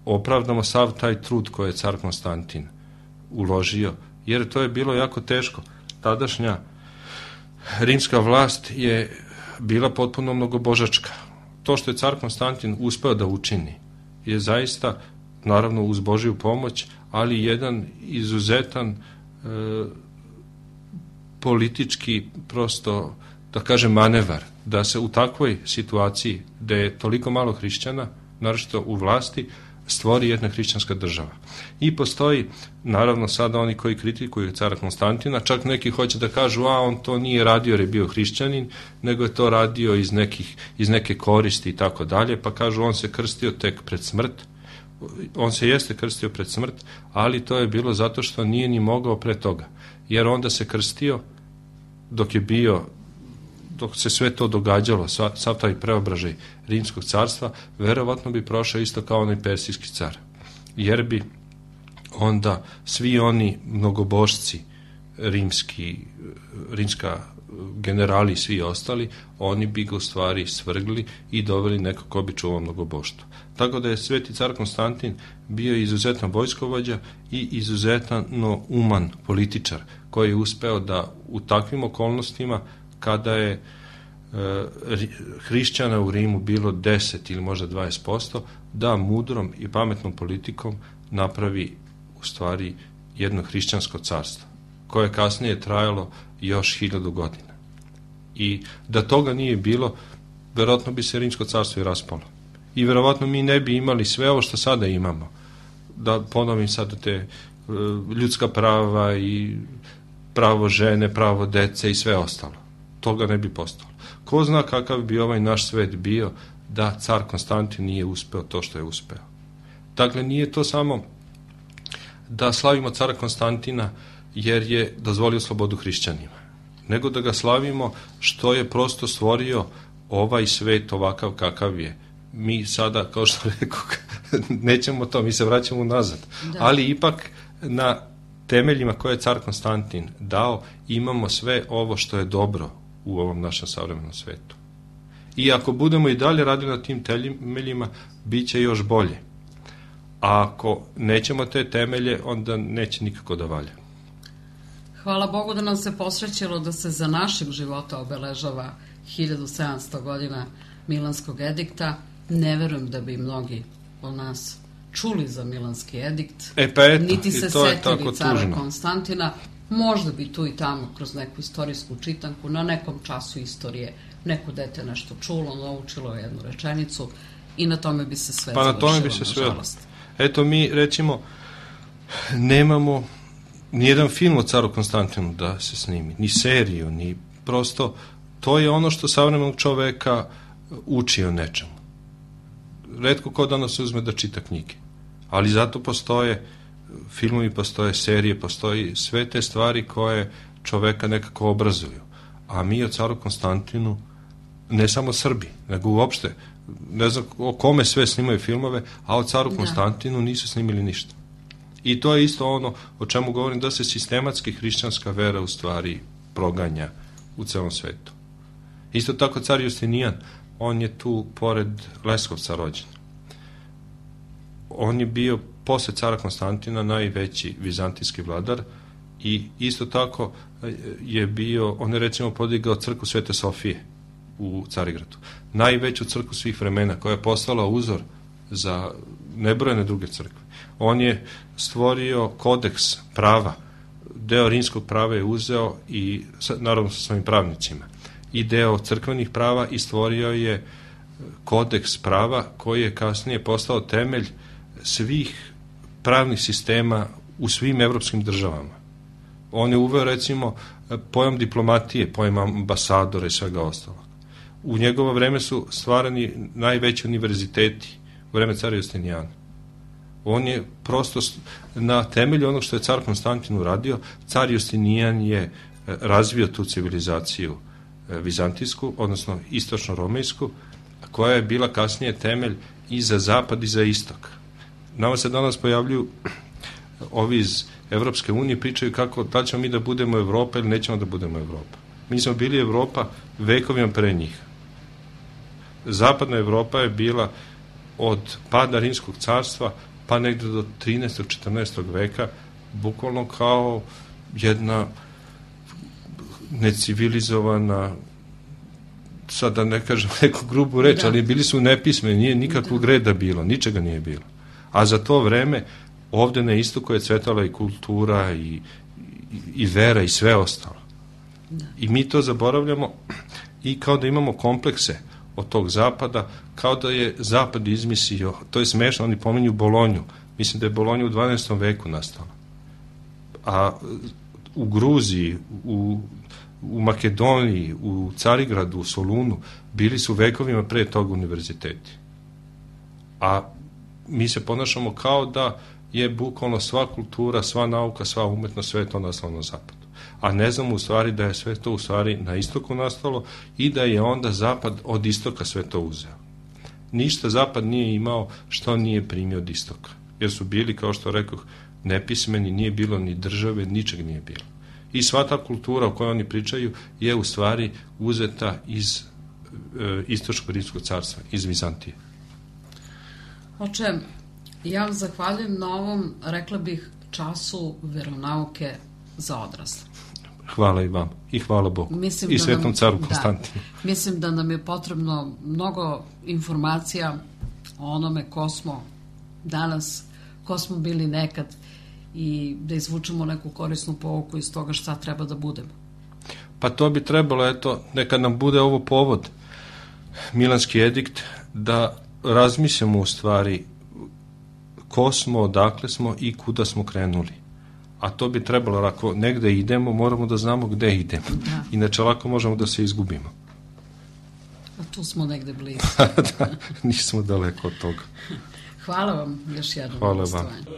opravdamo sav taj trud koji je car Konstantin uložio, jer to je bilo jako teško. Tadašnja rimska vlast je bila potpuno mnogobožačka. To što je car Konstantin uspeo da učini je zaista, naravno uz Božiju pomoć, ali jedan izuzetan e, politički prosto, da kažem, manevar, da se u takvoj situaciji gde je toliko malo hrišćana, naročito u vlasti, stvori jedna hrišćanska država. I postoji, naravno, sada oni koji kritikuju cara Konstantina, čak neki hoće da kažu, a on to nije radio jer je bio hrišćanin, nego je to radio iz, nekih, iz neke koristi i tako dalje, pa kažu on se krstio tek pred smrt. On se jeste krstio pred smrt, ali to je bilo zato što nije ni mogao pre toga. Jer onda se krstio dok je bio, dok se sve to događalo, sav taj preobražaj Rimskog carstva, verovatno bi prošao isto kao onaj persijski car. Jer bi onda svi oni mnogobošci, rimski, rimska generali i svi ostali, oni bi ga u stvari svrgli i doveli neko ko bi čuvao mnogoboštvo. Tako da je sveti car Konstantin bio izuzetan vojskovođa i izuzetno uman političar, koji je uspeo da u takvim okolnostima, kada je e, hrišćana u Rimu bilo deset ili možda dvadeset posto, da mudrom i pametnom politikom napravi u stvari jedno hrišćansko carstvo, koje je kasnije trajalo još hiljadu godina. I da toga nije bilo, verovatno bi se Rimsko carstvo i raspalo. I verovatno mi ne bi imali sve ovo što sada imamo. Da ponovim sada te ljudska prava i pravo žene, pravo dece i sve ostalo. Toga ne bi postalo. Ko zna kakav bi ovaj naš svet bio da car Konstantin nije uspeo to što je uspeo. Dakle, nije to samo da slavimo cara Konstantina jer je dozvolio slobodu hrišćanima, nego da ga slavimo što je prosto stvorio ovaj svet ovakav kakav je. Mi sada, kao što rekao, nećemo to, mi se vraćamo nazad. Da. Ali ipak na temeljima koje je car Konstantin dao, imamo sve ovo što je dobro u ovom našem savremenom svetu. I ako budemo i dalje radili na tim temeljima, bit će još bolje. A ako nećemo te temelje, onda neće nikako da valja. Hvala Bogu da nam se posrećilo da se za našeg života obeležava hiljadu sedamsto godina Milanskog edikta. Ne verujem da bi mnogi od nas čuli za Milanski edikt, e pa eto, niti se to setili cara tužno. Konstantina. Možda bi tu i tamo kroz neku istorijsku čitanku, na nekom času istorije, neko dete nešto čulo, naučilo jednu rečenicu i na tome bi se sve pa završilo, na tome bi se sve. nažalost. Eto, mi recimo nemamo nijedan film o caru Konstantinu da se snimi, ni seriju, ni prosto, to je ono što savremenog čoveka uči o nečemu. Retko ko danas se uzme da čita knjige, ali zato postoje filmovi, postoje serije, postoji sve te stvari koje čoveka nekako obrazuju. A mi o caru Konstantinu, ne samo Srbi, nego uopšte, ne znam o kome sve snimaju filmove, a o caru da. Konstantinu nisu snimili ništa. I to je isto ono o čemu govorim, da se sistematski hrišćanska vera u stvari proganja u celom svetu. Isto tako car Justinijan, on je tu pored Leskovca rođen. On je bio posle cara Konstantina najveći vizantijski vladar i isto tako je bio, on je recimo podigao crkvu Svete Sofije u Carigradu. Najveću crkvu svih vremena, koja je postala uzor za nebrojene druge crkve. On je stvorio kodeks prava, deo rimskog prava je uzeo i naravno sa svojim pravnicima i deo crkvenih prava i stvorio je kodeks prava koji je kasnije postao temelj svih pravnih sistema u svim evropskim državama. On je uveo recimo pojam diplomatije, pojam ambasadora i svega ostalog. U njegovo vreme su stvarani najveći univerziteti u vreme cara Justinijana. On je prosto na temelju onog što je car Konstantin uradio, car Justinijan je razvio tu civilizaciju vizantijsku, odnosno istočno-romejsku, koja je bila kasnije temelj i za zapad i za istok. Nama se danas pojavljuju ovi iz Evropske unije, pričaju kako da ćemo mi da budemo Evropa ili nećemo da budemo Evropa. Mi smo bili Evropa vekovima pre njih. Zapadna Evropa je bila od pada Rimskog carstva pa negde do trinaestog četrnaestog veka bukvalno kao jedna necivilizovana, sad da ne kažem neku grubu reč, da. Ali bili su nepismeni, nije nikakvog da. reda bilo, ničega nije bilo. A za to vreme ovde na istoku je cvetala i kultura i, i, i vera i sve ostalo. I mi to zaboravljamo i kao da imamo komplekse od tog zapada, kao da je zapad izmislio, to je smešno, oni pominju Bolonju, mislim da je Bolonja u dvanaestom veku nastala. A u Gruziji, u, u Makedoniji, u Carigradu, u Solunu, bili su vekovima pre toga univerziteti. A mi se ponašamo kao da je bukvalno sva kultura, sva nauka, sva umetnost, sve je to nastalo na zapadu. A ne znamo u stvari da je sve to u stvari na istoku nastalo i da je onda zapad od istoka sve to uzeo. Ništa zapad nije imao što nije primio od istoka. Jer su bili, kao što rekoh, nepismeni, nije bilo ni države, ničeg nije bilo. I sva ta kultura o kojoj oni pričaju je u stvari uzeta iz e, istočkog rimskog carstva, iz Vizantije. Oče, ja vam zahvaljujem na ovom, rekla bih, času veronauke za odrasle. Hvala i vam. I hvala Bogu. Mislim I Svetom nam, caru Konstantinu. Da, mislim da nam je potrebno mnogo informacija o onome ko smo danas, ko smo bili nekad i da izvučemo neku korisnu pouku iz toga šta treba da budemo. Pa to bi trebalo, eto, neka nam bude ovo povod, Milanski edikt, da razmislimo u stvari ko smo, odakle smo i kuda smo krenuli. A to bi trebalo, ako negde idemo, moramo da znamo gde idemo. Da. Inače, lako možemo da se izgubimo. A tu smo negde blizu. Da, nismo daleko od toga. Hvala vam još jednom. Hvala vam. Son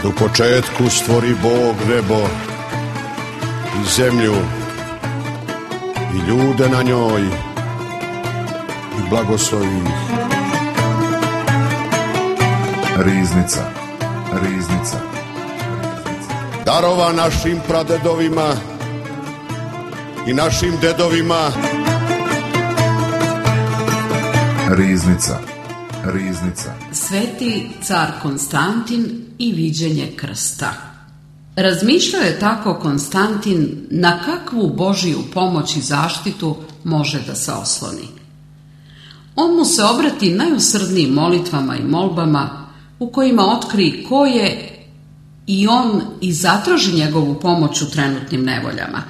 U početku stvori Bog nebo i zemlju i ljude na njoj i blagoslovi ih. Riznica, riznica. Darova našim pradedovima i našim dedovima. Riznica, riznica. Sveti car Konstantin i viđenje krsta. Razmišljao je tako Konstantin na kakvu Božiju pomoć i zaštitu može da se osloni. On mu se obrati najusrdnijim molitvama i molbama u kojima otkrije ko je i on i zatraži njegovu pomoć u trenutnim nevoljama.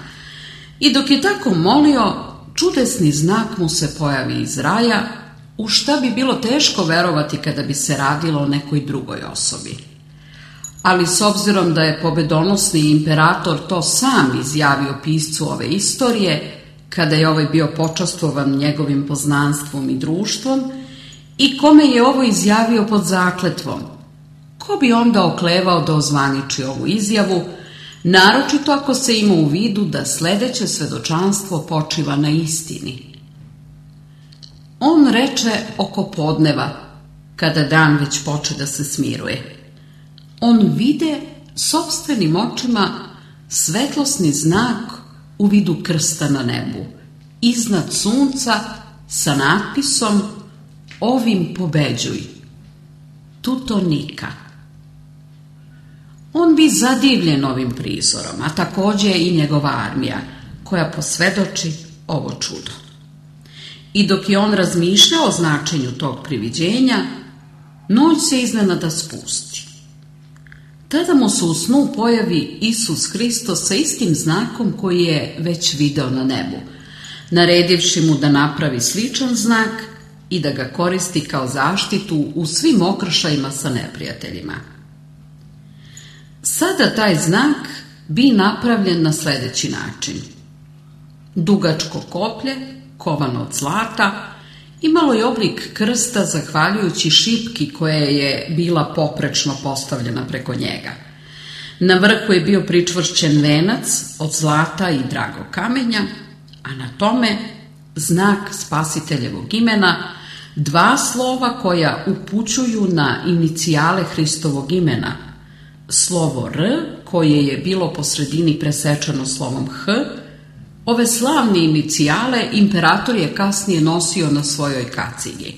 I dok je tako molio, čudesni znak mu se pojavi iz raja, u šta bi bilo teško verovati kada bi se radilo o nekoj drugoj osobi. Ali s obzirom da je pobedonosni imperator to sam izjavio piscu ove istorije, kada je ovaj bio počastvovan njegovim poznanstvom i društvom, i kome je ovo izjavio pod zakletvom, ko bi onda oklevao da ozvaniči ovu izjavu, naročito ako se ima u vidu da sledeće svedočanstvo počiva na istini. On reče oko podneva, kada dan već poče da se smiruje. On vide sopstvenim očima svetlosni znak u vidu krsta na nebu, iznad sunca sa natpisom ovim pobeđuj, tuto nika. On bi zadivljen ovim prizorom, a takođe i njegova armija, koja posvedoči ovo čudo. I dok je on razmišljao o značenju tog priviđenja, noć se iznenada spusti. Tada mu se u snu pojavi Isus Hristos sa istim znakom koji je već video na nebu, naredivši mu da napravi sličan znak i da ga koristi kao zaštitu u svim okršajima sa neprijateljima. Sada taj znak bi napravljen na sledeći način. Dugačko koplje, kovano od zlata, imalo je oblik krsta zahvaljujući šipki koja je bila poprečno postavljena preko njega. Na vrhu je bio pričvršćen venac od zlata i dragog kamenja, a na tome znak spasiteljevog imena, dva slova koja upućuju na inicijale Hristovog imena, slovo R koje je bilo po sredini presečeno slovom H. Ove slavne inicijale imperator je kasnije nosio na svojoj kacigi.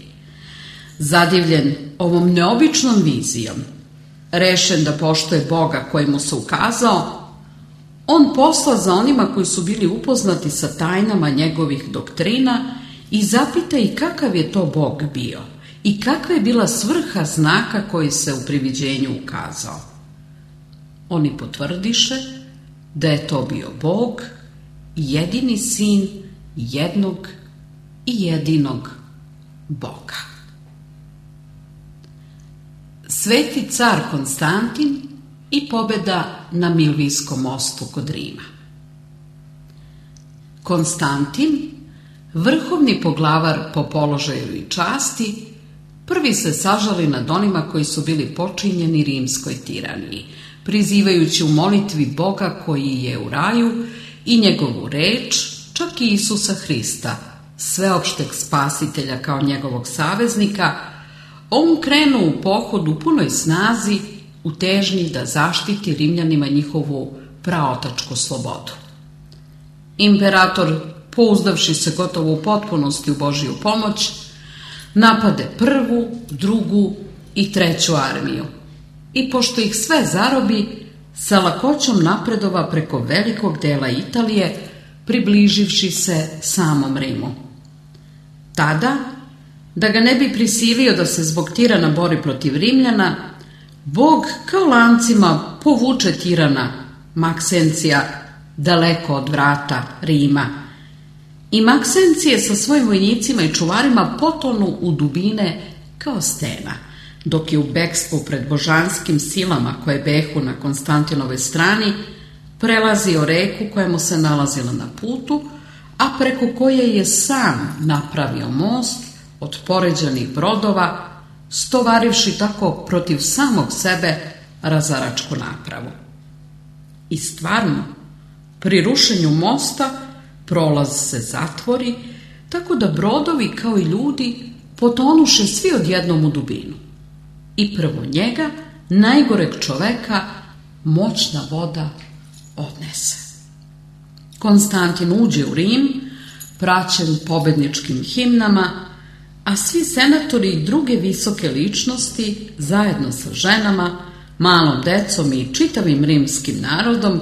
Zadivljen ovom neobičnom vizijom, rešen da poštuje Boga koji mu se ukazao, on posla za onima koji su bili upoznati sa tajnama njegovih doktrina i zapita i kakav je to Bog bio i kakva je bila svrha znaka koji se u priviđenju ukazao. Oni potvrdiše da je to bio Bog, jedini sin jednog i jedinog Boga. Sveti car Konstantin i pobeda na Milvijskom mostu kod Rima. Konstantin, vrhovni poglavar po položaju i časti, Prvi se sažali nad onima koji su bili počinjeni rimskoj tiraniji, prizivajući u molitvi Boga koji je u raju i njegovu reč, čak i Isusa Hrista, sveopšteg spasitelja kao njegovog saveznika, on krenu u pohod u punoj snazi u težnji da zaštiti Rimljanima njihovu praotačku slobodu. Imperator, pouzdavši se gotovo u potpunosti u Božiju pomoć, napade prvu, drugu i treću armiju i pošto ih sve zarobi, sa lakoćom napredova preko velikog dela Italije, približivši se samom Rimu. Tada, da ga ne bi prisilio da se zbog tirana bori protiv Rimljana, Bog kao lancima povuče tirana Maksencija daleko od vrata Rima. I Maksencije sa svojim vojnicima i čuvarima potonu u dubine kao stena, dok je u bekstvu pred božanskim silama koje behu na Konstantinovoj strani prelazio reku koja mu se nalazila na putu, a preko koje je sam napravio most od poređanih brodova, stovarivši tako protiv samog sebe razaračku napravu. I stvarno, pri rušenju mosta prolaz se zatvori, tako da brodovi kao i ljudi potonuše svi odjednom u dubinu. I prvo njega, najgoreg čoveka, moćna voda odnese. Konstantin uđe u Rim, praćen pobedničkim himnama, a svi senatori i druge visoke ličnosti, zajedno sa ženama, malom decom i čitavim rimskim narodom,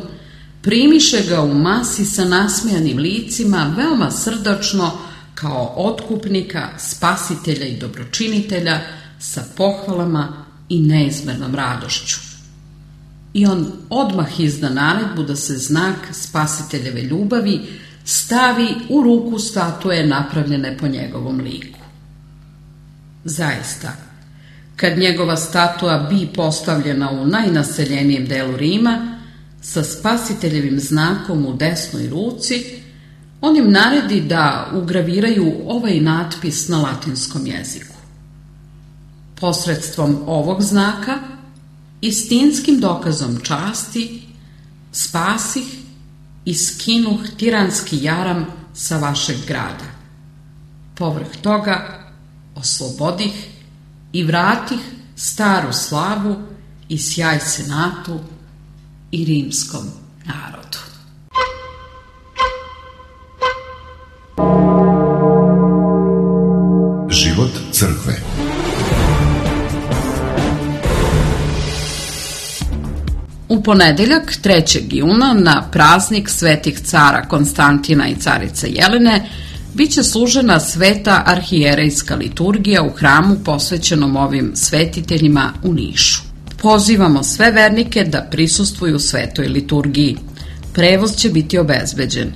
primiše ga u masi sa nasmejanim licima, veoma srdačno, kao otkupnika, spasitelja i dobročinitelja, sa pohvalama i neizmernom radošću. I on odmah izda naredbu da se znak spasiteljeve ljubavi stavi u ruku statue napravljene po njegovom liku. Zaista, kad njegova statua bi postavljena u najnaseljenijem delu Rima, sa spasiteljevim znakom u desnoj ruci, on im naredi da ugraviraju ovaj natpis na latinskom jeziku. Posredstvom ovog znaka, istinskim dokazom časti, spasih i skinuh tiranski jaram sa vašeg grada. Povrh toga oslobodih i vratih staru slavu i sjaj senatu i rimskom narodu. Život crkve. U ponedeljak, trećeg juna, na praznik svetih cara Konstantina i carice Jelene, bit će služena sveta arhijerejska liturgija u hramu posvećenom ovim svetiteljima u Nišu. Pozivamo sve vernike da prisustvuju svetoj liturgiji. Prevoz će biti obezbeđen.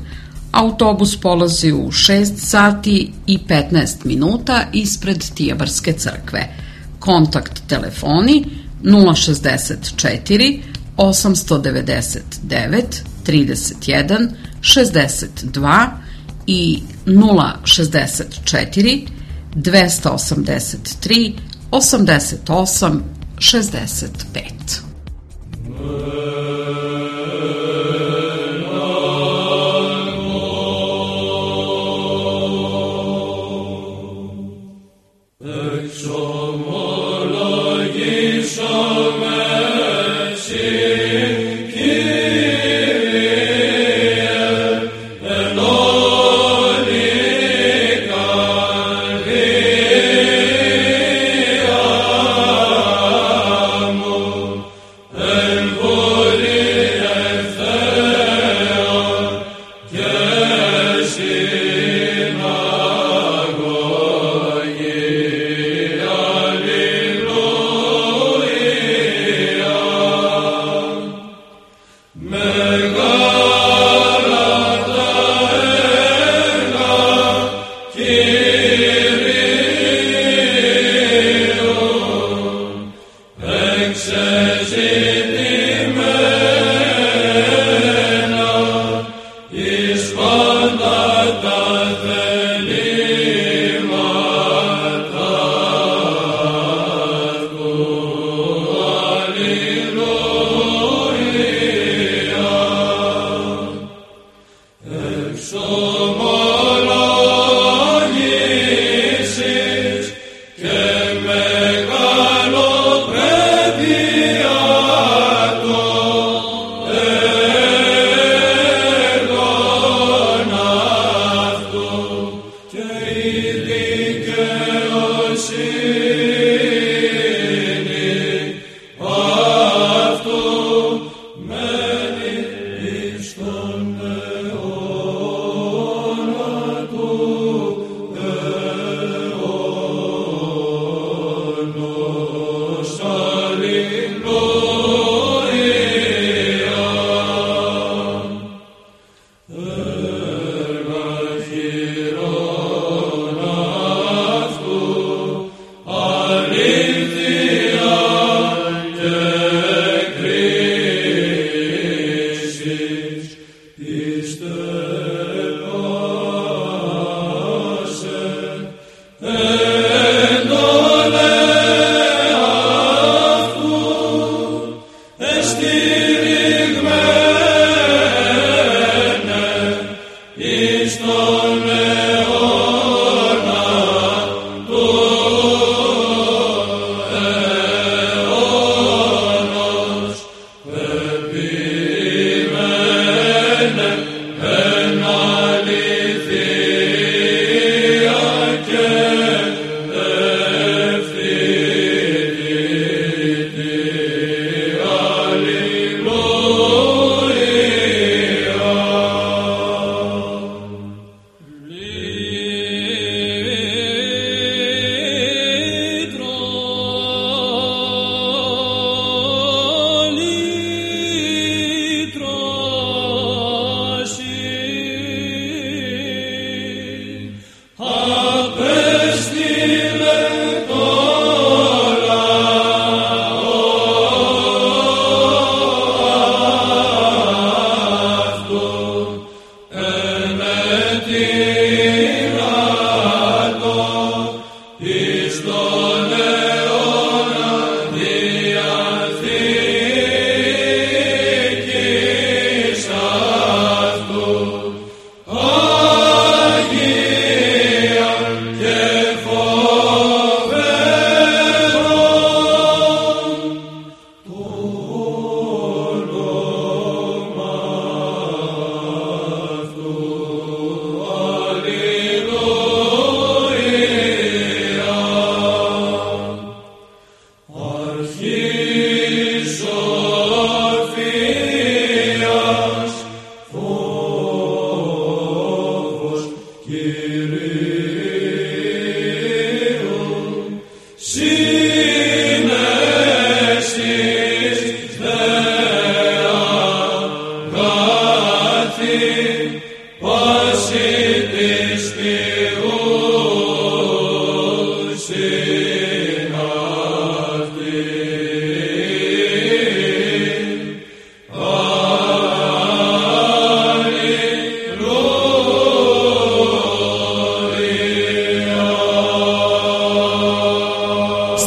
Autobus polazi u šest sati i petnaest minuta ispred Tijabarske crkve. Kontakt telefoni nula šezdeset četiri osamsto devedeset devet trideset jedan šezdeset dva i nula šezdeset četiri dvesta osamdeset tri osamdeset osam šezdeset pet. Amen.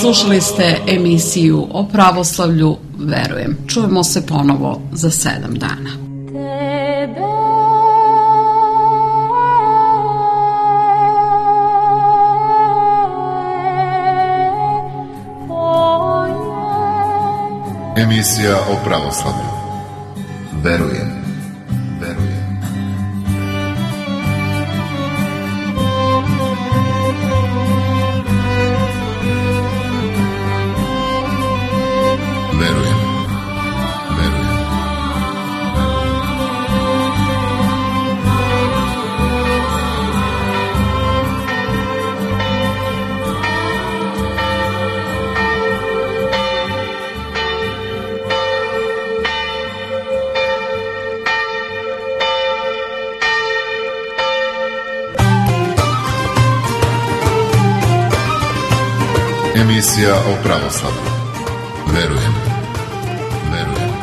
Slušali ste emisiju o pravoslavlju Verujem. Čujemo se ponovo za sedam dana. Emisija o pravoslavlju. Verujem. Verujem. Verujem. Verujem. Emisija o pravoslavlju. Verujem. Verujem.